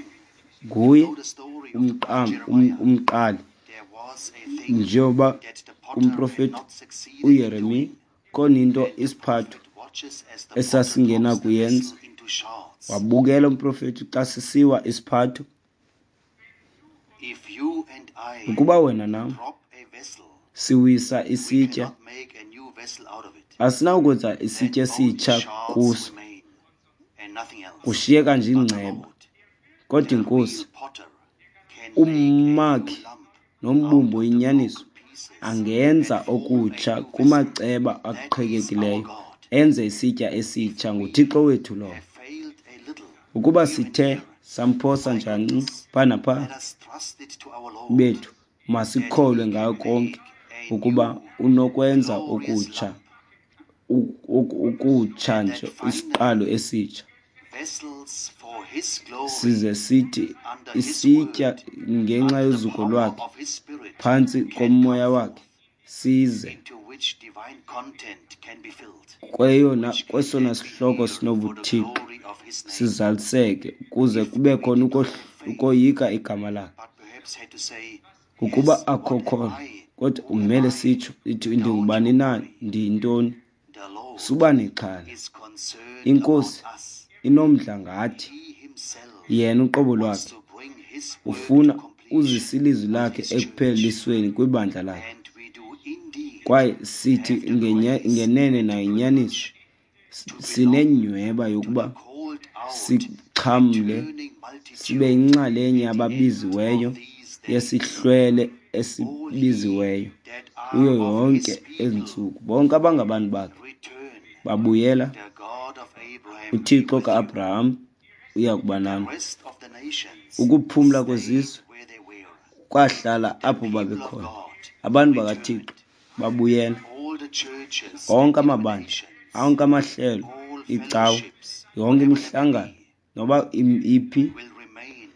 you Nguye know the story of the prophet Jeremiah. umqali. There was a thing Njengoba that the potter had kumprofeti not succeeded in uYeremiya doing. khona into And the isiphatho prophet watches as the potter drops the esasingenakuyenza. vessel into shards. Wabukela umprofeti xa sisiwa isiphatho. If you and I Ukuba wena nam drop a vessel, siwisa we isitya, cannot make a new vessel out of it. asinawukwenza Then isitya only esitsha shards kuso, remain and nothing else. kushiyeka nje But the ingceba. Lord, Kodwa the iNkosi, real potter, can make a new umakhi lump out nombumbi of the oyinyaniso, broken pieces angenza and form a okutsha new vessel. kumaceba That is our aqhekekileyo, God. enze isitya If esitsha. we NguThixo wethu lowo. have failed a little Ukuba here and sithe there, samphosa my nje kancinci goodness, pha napha let us trust it to our Lord bethu, that He masikholwe can ngayo konke make a ukuba new unokwenza glorious okutsha, lump, okutsha and nje, that finally isiqalo esitsha. vessels for His glory Size sithi under His isitya word, ngenxa under the yozuko power lwakhe, of His Spirit, phantsi can come komoya wakhe, forth, size into which divine content can be filled, kweyona which can kwesona then be sihloko here for the sinobuthixo glory of His name. sizaliseke, ukuze If kube we khona did not have faith, ukoyika igama lakhe. but perhaps had to say, Ukuba Yes, akho what am khona, I? kodwa Who am umele I? sitsho ithi Don't ndingubani you na, worry. ndiyintoni. The Lord Suba nexhala, is concerned about iNkosi us. inomdla ngathi. He himself Yena uqobo wants lwakhe to bring his work to ufuna completion uzisa ilizwi with lakhe his church. ekuphelisweni kwibandla lakhe. And we do indeed Kwaye sithi have the grace ngenene and the nayinyaniso, privilege to belong sinenyhweba to the yokuba called out sixhamle, returning sibe multitude yinxalenye at the end yababiziweyo, of these days. yesihlwele All ye esibiziweyo that are kuyo of his yonke people ezi ntsuku. Bonke abangabantu bakhe return. babuyela. The God of Abraham be UThixo with you. ka-Abraham uya kuba The nani. rest of the nations Ukuphumla stayed kwezizwe where they were. kwahlala The apho people of babekhona. God Abantu bakaThixo returned. babuyela. All the churches Onke and amabandla, denominations, onke amahlelo, all iicawa, fellowships, yonke whatever they may imihlangano, be, noba iphi, will remain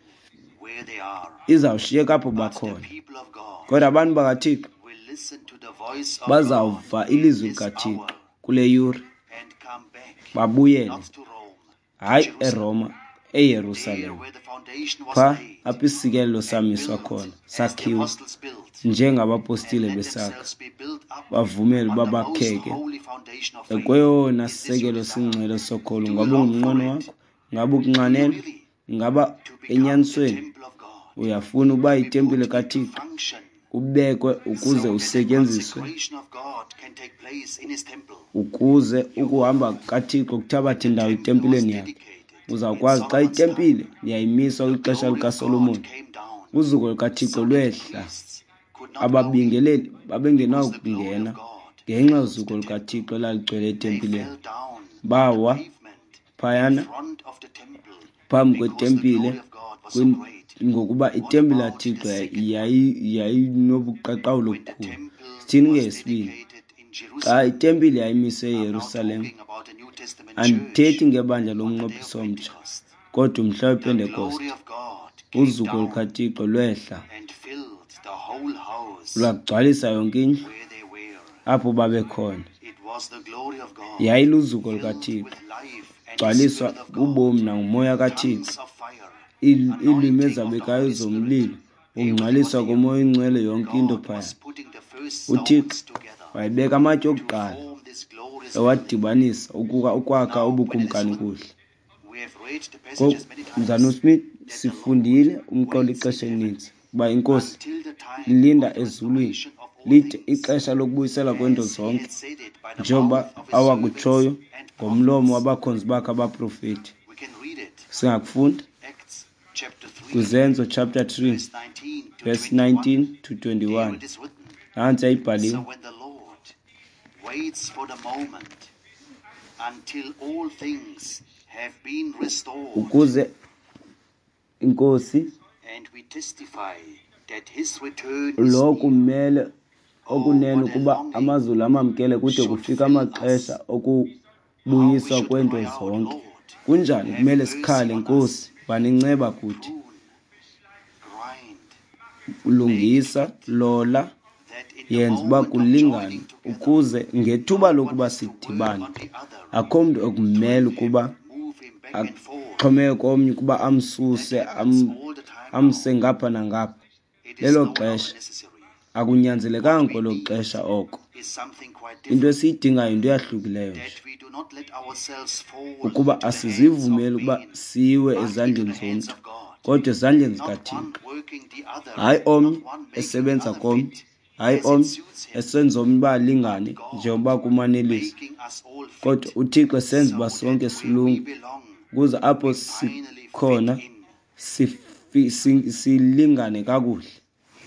where they are. izawushiyeka apho But the bakhona. people of God Kodwa abantu bakaThixo will listen to the voice of God bazawuva in ilizwi this likaThixo hour kule yure, and come back, babuyele, not to Rome, to hayi Jerusalem, eRoma, there eYerusalem, where the foundation was pha laid apho isikelelo and samiswa built khona, as the sakhiwa apostles built, and njengabapostile let besakha, themselves be built up bavumele uba on the most bakheke holy foundation of faith. kweyona Is this your sisekelo desire? singcwele sokholo. Do you Ngaba long ungumnqweno for it? wakho? Ngaba Do you ukunxanela? really Ngaba to become the enyanisweni temple of God, uyafuna uba to be yitempile put into kaThixo, function ubekwe ukuze so that the usetyenziswe, consecration of God can take place in his temple? ukuze You ukuhamba know, kukaThixo when kuthabathe the indawo temple was etempileni yakhe. dedicated in Uzawukwazi xa Solomon's time, itempile yayimiswa the kwixesha glory of God likaSolomoni, came down uzuko lukaThixo so that the lwehla, priests could not go in ababingeleli because the glory babengenakungena of God ngenxa filled yozuko the temple. lukaThixo elaligcwele They etempileni. fell down on the Bawa pavement in phayana front of the Phambi Because the kwetempile glory of God was so great. ngokuba What itempile about the kaThixo second? yayinobuqaqawuli When the obukhulu. temple Sithini was ngeyesibini? dedicated in Xa Jerusalem, itempile yayimiswe I'm now eYerusalem, talking about the New Testament church andithethi ngebandla on the day of lomnqophiso omtsha, Pentecost. kodwa umhla The wePentekoste, glory of God came uzuko down lukaThixo lwehla and filled the whole house lwagcwalisa yonke indlu where they were. apho babekhona. It was the glory of God Yayiluzuko filled lukaThixo, with life and the gcwaliswa Spirit of God, bubomi nangumoya kaThixo, tongues of fire, iilwimi anointing of the ezabekayo Holy Spirit. zomlilo, Everything was ukungcwaliswa there. komoya oyingcwele, yonke into God phaya. was putting the first UThixo stones together wayebeka amatye to okuqala form this glorious building. ewadibanisa ukwakha Now, when it is ubukumkani written, kuhle. we have read the Ngoku, passages many Mzalwana times uSmith, that the Lord sifundile umqolo waits ixesha in heaven elininzi uba iNkosi until the time ilinda of the ezulwini restoration of all lide things, ixesha lokubuyiselwa kweento as he zonke, had said it by the njengoba mouth of his awakutshoyo servants and ngomlomo prophets. wabakhonzi bakhe abaprofeti. We can read it. Singakufunda Acts chapter 3, kwiZenzo chapter 3 verse 19 to verse 21. 19 to There 21. it is written. Nantsi So yayibhaliwe. when the Lord waits for the moment until all things have been restored, Ukuze iNkosi and we testify that his return is lo near. kumele Oh, okunene what a ukuba longing amazulu amamkele kude should kufike fill amaxesha us. How we okubuyiswa should kweento cry out, zonke. Lord, Kunjani have kumele mercy sikhale, on us. Nkosi, banenceba kuthi. Prune, grind, make Lungisa, fit, lola, that in the yenza uba moment of kulingane joining together, ukuze ngethuba no one lokuba has to work sidibane on the other, akho mntu ekumele tweak him, ukuba move him back and forth. axhomeke komnye ukuba That amsuse happens all the time now. amse ngapha nangapha. It is Lelo no longer xesha necessary. akunyanzelekanga What we kwelo need xesha oko. is something quite Into different. esiyidingayo yinto eyahlukileyo nje, That we do not let ourselves fall ukuba into the hands of asizivumeli ukuba men, siwe but into ezandleni the hands zomntu, of God. kodwa ezandleni Not one zikaThixo. working the other, Hayi omnye not one making the esebenza other komnye, fit hayi as it omnye suits him, esenza omnye uba but alingane God njengoba kumanelisa, making us all kodwa fit uThixo esenza so uba that sonke where we silunge, belong, ukuze apho we finally fit sikhona in. silingane kakuhle.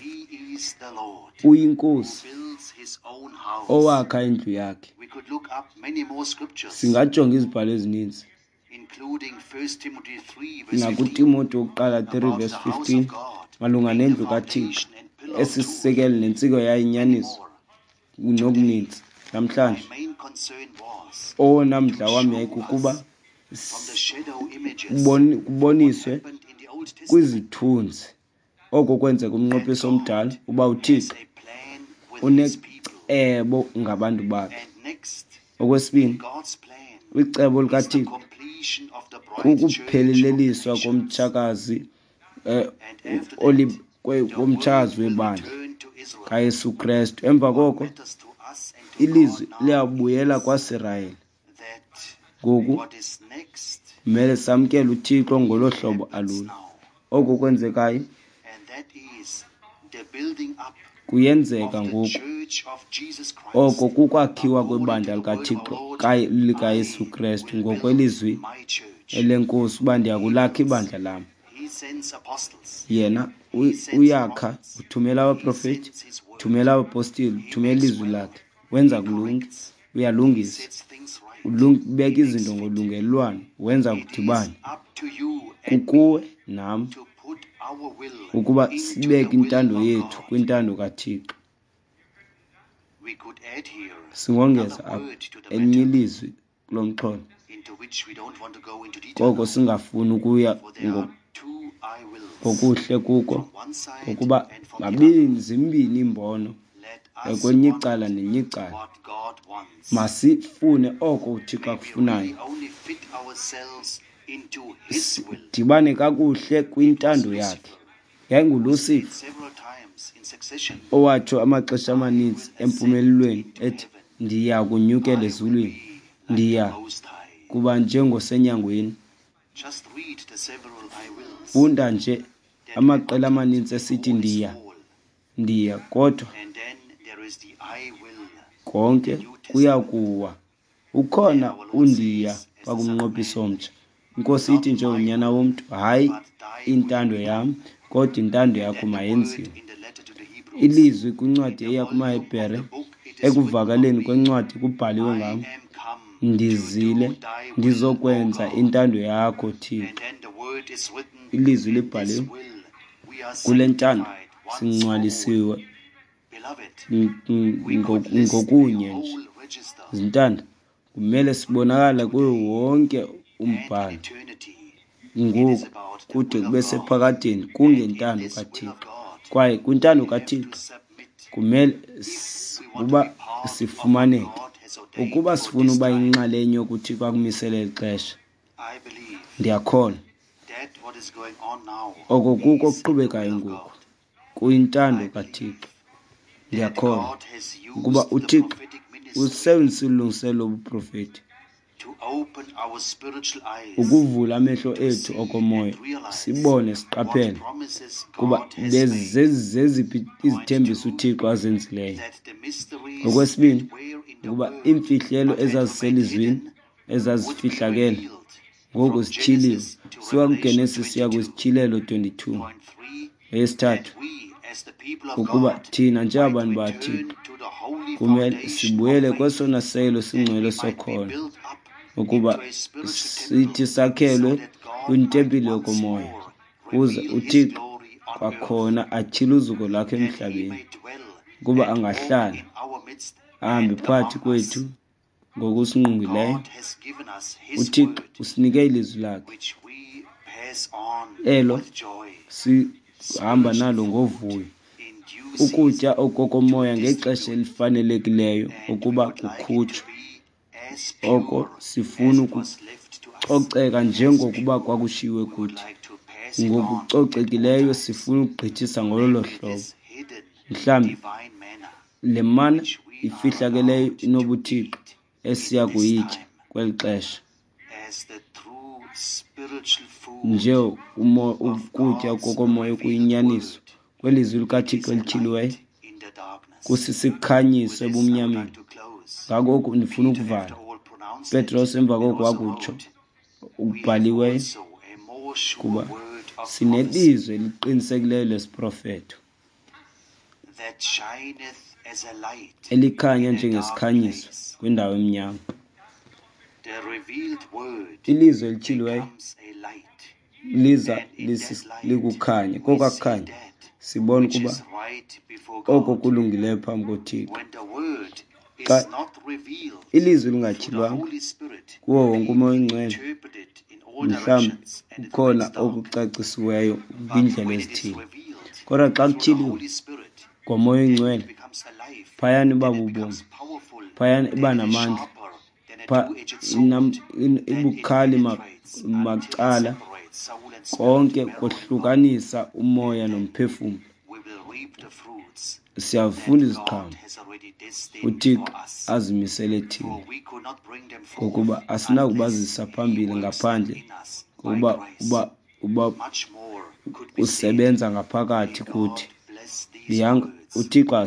He is the Lord who UyiNkosi builds his own house. owakha indlu yakhe. We could look up many more scriptures, Singajonga izibhalo ezininzi, including 1 Timothy 3, verse 15, nakuTimoti wokuqala 3 about verse the house 15 of God malunga being the nendlu kaThixo foundation and pillar of truth. esisisekelo nentsiko Many yayinyaniso more. Today, nokuninzi. my Namhlanje main concern was owona to mdla wam show yayikukuba us from the shadow images what kuboniswe happened in the Old Testament kwizithunzi oko kwenzeka that umnqophiso God omdala uba has uThixo a plan with his people. unecebo ngabantu bakhe. And next, Okwesibini, God's plan kwicebo is the likaThixo completion of the bride church of the kukupheleleliswa nations. komtshakazi And after oli that, the word komtshazi will webandla return to Israel. kaYesu Krestu. Emva What koko matters to us and to ilizwi God now liyabuyela is kwaSirayeli. that Ngoku what is next kumele samkele uThixo ngolo really hlobo happens alulo. now. Oko kwenzekayo And that is the building up kuyenzeka of the ngoku. church of Jesus Christ. Oko kukwakhiwa According to kwebandla the word of our likaThixo Lord, likaYesu I Krestu will build ngokwelizwi my church. elenkosi uba He ndiyakulakha builds. ibandla lam. He sends apostles. Yena He sends uyakha, prophets. uthumela He abaprofeti, sends his word. uthumela abapostile, He uthumela makes ilizwi well. lakhe. Wenza He kulunge, corrects. He uyalungisa, sets things right. ubeka He makes izinto fit. ngolungelelwano, wenza It is kudibane. up to you and me Kukuwe nam to put our will ukuba into the sibeke will intando of yethu God. kwintando kaThixo. We could add here Singongeza another apha word to the elinye matter, ilizwi kulo mxholo, into which we don't want to go into detail koko now, singafuni ukuya for there are two I wills, ngokuhle kuko, from one side ngokuba and from the other. mabini zimbini iimbono Let us kwelinye want icala nelinye icala. what God wants. Masifune oko uThixo May we akufunayo, really only fit ourselves into His will. sidibane kakuhle It was kwintando yakhe. Lucifer who said YayinguLucifer several times in succession, owatsho amaxesha I amaninzi will ascend empumelelweni into ethi, heaven. ndiya kunyukela I will ezulwini, be like the ndiya Most High. kuba njengosenyangweni. Just read the several I wills Funda nje that were amaqela uttered amaninzi esithi before his ndiya, fall. ndiya, kodwa And then there is the I will in konke the New kuya Testament. kuwa. There Ukhona our Lord undiya says, as the Son of pakumnqophiso Man, omtsha. Inkosi ithi not my njengonyana will, womntu, hayi but thy will intando be yam, done. kodwa intando And yakho then the word mayenziwe. in the letter to the Hebrews, Ilizwi in kwincwadi the eya volume of kumaHebhere, the book it is written of ekuvakaleni me, kwencwadi kubhaliwe I ngam, am come to ndizile do thy will, O ndizokwenza God. intando yakho, And Thixo. then the word Ilizwi libhaliwe. Kule ntando singcwalisiwe ngokunye nje. Zintanda, kumele sibonakale kuwo wonke umbhalo ngoku kude kube sephakadeni kungentando kaThixo. Kwaye kwintando kaThixo kumele uba sifumaneke. Ukuba sifuna uba yinxalenye yokuThixo akumisele ixesha, ndiyakholwa oko kuko okuqhubekayo ngoku kuyintando kaThixo. Ndiyakholwa ukuba uThixo usebenzisa ulungiselelo lobuprofeti ukuvula amehlo ethu okomoya, sibone siqaphele kuba zeziphi izithembiso uThixo azenzileyo. Okwesibini, ukuba iimfihlelo ezaziselizwini ezazifihlakele ngoku zityhiliwe, suka kuGenesis siya kwiSityhilelo 22. Eyesithathu, ukuba thina njengabantu baThixo kumele sibuyele kwesona selo singcwele sokholo, ukuba sithi sakhelwe kwintempile yokomoya, ukuze uThixo kwakhona atyhile uzuko lwakhe emhlabeni, ukuba angahlala ahambe phakathi kwethu ngokusingqongileyo. UThixo usinike ilizwi lakhe elo sihamba nalo ngovuyo, ukutya okokomoya ngexesha elifanelekileyo ukuba kukhutshwe. Oko sifuna ukucoceka njengokuba kwakushiwe kuthi, ngokucocekileyo sifuna ukugqithisa ngolo hlobo. Mhlawumbi le mana ifihlakeleyo inobuthixo esiya kuyitya kweli xesha nje ukutya kokomoya okuyinyaniso kwelizwi likaThixo elityhiliweyo kusisikhanyiso ebumnyameni. Ngako oku ndifuna ukuvala. Petros emva koko wakutsho okubhaliweyo, kuba sinelizwi eliqinisekileyo lesiprofeto elikhanya njengesikhanyiso kwindawo emnyama. Ilizwi elityhiliweyo liza likukhanya, kokwaa kukhanya sibona ukuba oko kulungileyo phambi koThixo. Xa ilizwi lingatyhilwanga kuwo wonke uMoya oyiNgcwele, mhlawumbi kukhona okucacisiweyo kwiindlela ezithile, kodwa xa kutyhiliwe ngoMoya oyiNgcwele, phayana iba bubomi, phayana iba namandla, ibukhali macala konke kohlukanisa umoya nomphefumlo. Siyafunda iziqhamo uThixo azimisele thina, ngokuba asinakubazisa phambili ngaphandle kokuba uba usebenza ngaphakathi kuthi. Yanga uThixo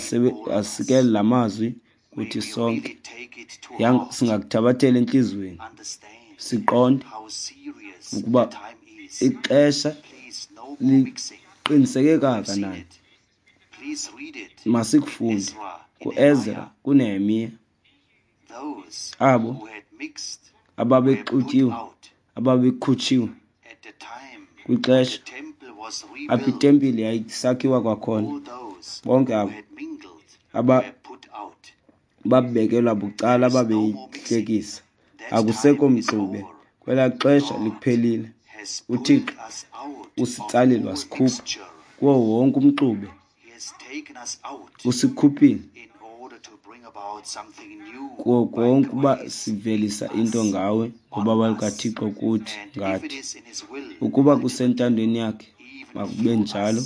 asikele la mazwi kuthi sonke. Yanga singakuthabathela entliziyweni, siqonde ukuba ixesha liqiniseke kangakanani. Masikufunde kuEzra, kuNehemiya, abo ababexutyiwe, ababekhutshiwe kwixesha apho itempile yayisakhiwa kwakhona. Bonke abo babekelwa bucala, ababeyihlekisa. Akusekho mxube, kwelaa xesha liphelile. UThixo usitsalile wasikhupha kuwo wonke umxube, usikhuphile kuwo konke uba sivelisa into ngawe ngobabalo lukaThixo kuthi ngathi. Ukuba kusentandweni yakhe, makube njalo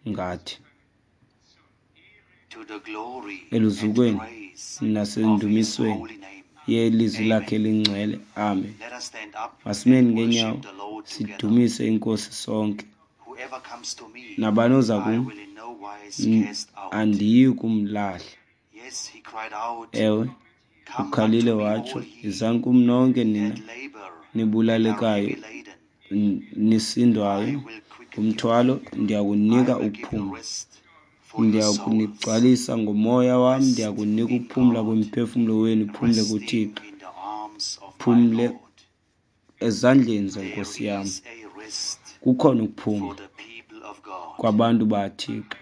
ngathi. Eluzukweni nasendumisweni yelizwi lakhe elingcwele. Amen. Masimeni ngeenyawo sidumise iNkosi sonke. Nabani oza kum, andiyi kumlahla. Ewe, ukhalile watsho, yizani kum nonke nina nibulalekayo nisindwayo ngumthwalo, ndiyakunika ukuphumla. Ndiyakunigcwalisa ngomoya wam, ndiyakunika ukuphumla kwemiphefumlo wenu, iphumle kuThixo, phumle ezandleni zeNkosi yam. Kukhona for ukuphumla the people of God kwabantu baThixo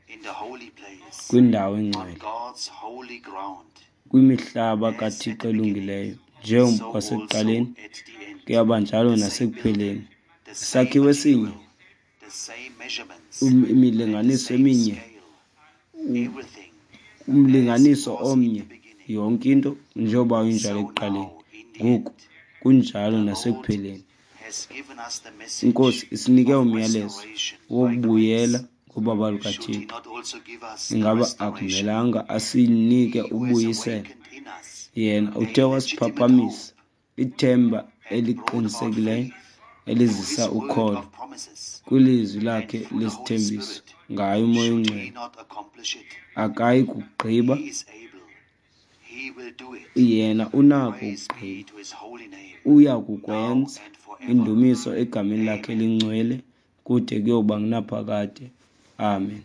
in the holy place, kwindawo on engcwele, God's holy ground. kwimihlaba As at kaThixo the beginning, elungileyo. so Njengokwasekuqaleni also at the end. kuyaba njalo The same nasekupheleni. building, the same Isakhiwo esinye, material, the same measurements, and the imilinganiso same eminye, scale. Everything as it umlinganiso was in omnye, the beginning, yonke into njengoba injalo so ekuqaleni, now in the ngoku end. kunjalo The Lord nasekupheleni. has given us the message INkosi isinike of umyalezo restoration by wokubuyela grace. ngobabalo Should He lukaThixo. not also give us the Ingaba restoration? akumelanga asinike He who has ubuyiselo? awakened in us Yena a uthe legitimate wasiphaphamisa hope ithemba and brought about eliqinisekileyo faith through elizisa His word ukholo of promises kwilizwi and lakhe through the Holy lesithembiso Spirit, ngaye uMoya should He oNgcwele. not accomplish it? Akayi kugqiba, He is able. He will do it. yena unako Praise be ukugqiba. to His holy name, Uya now kukwenza. and forever. Indumiso egameni lakhe Amen. elingcwele kude kuyoba ngunaphakade. Amen.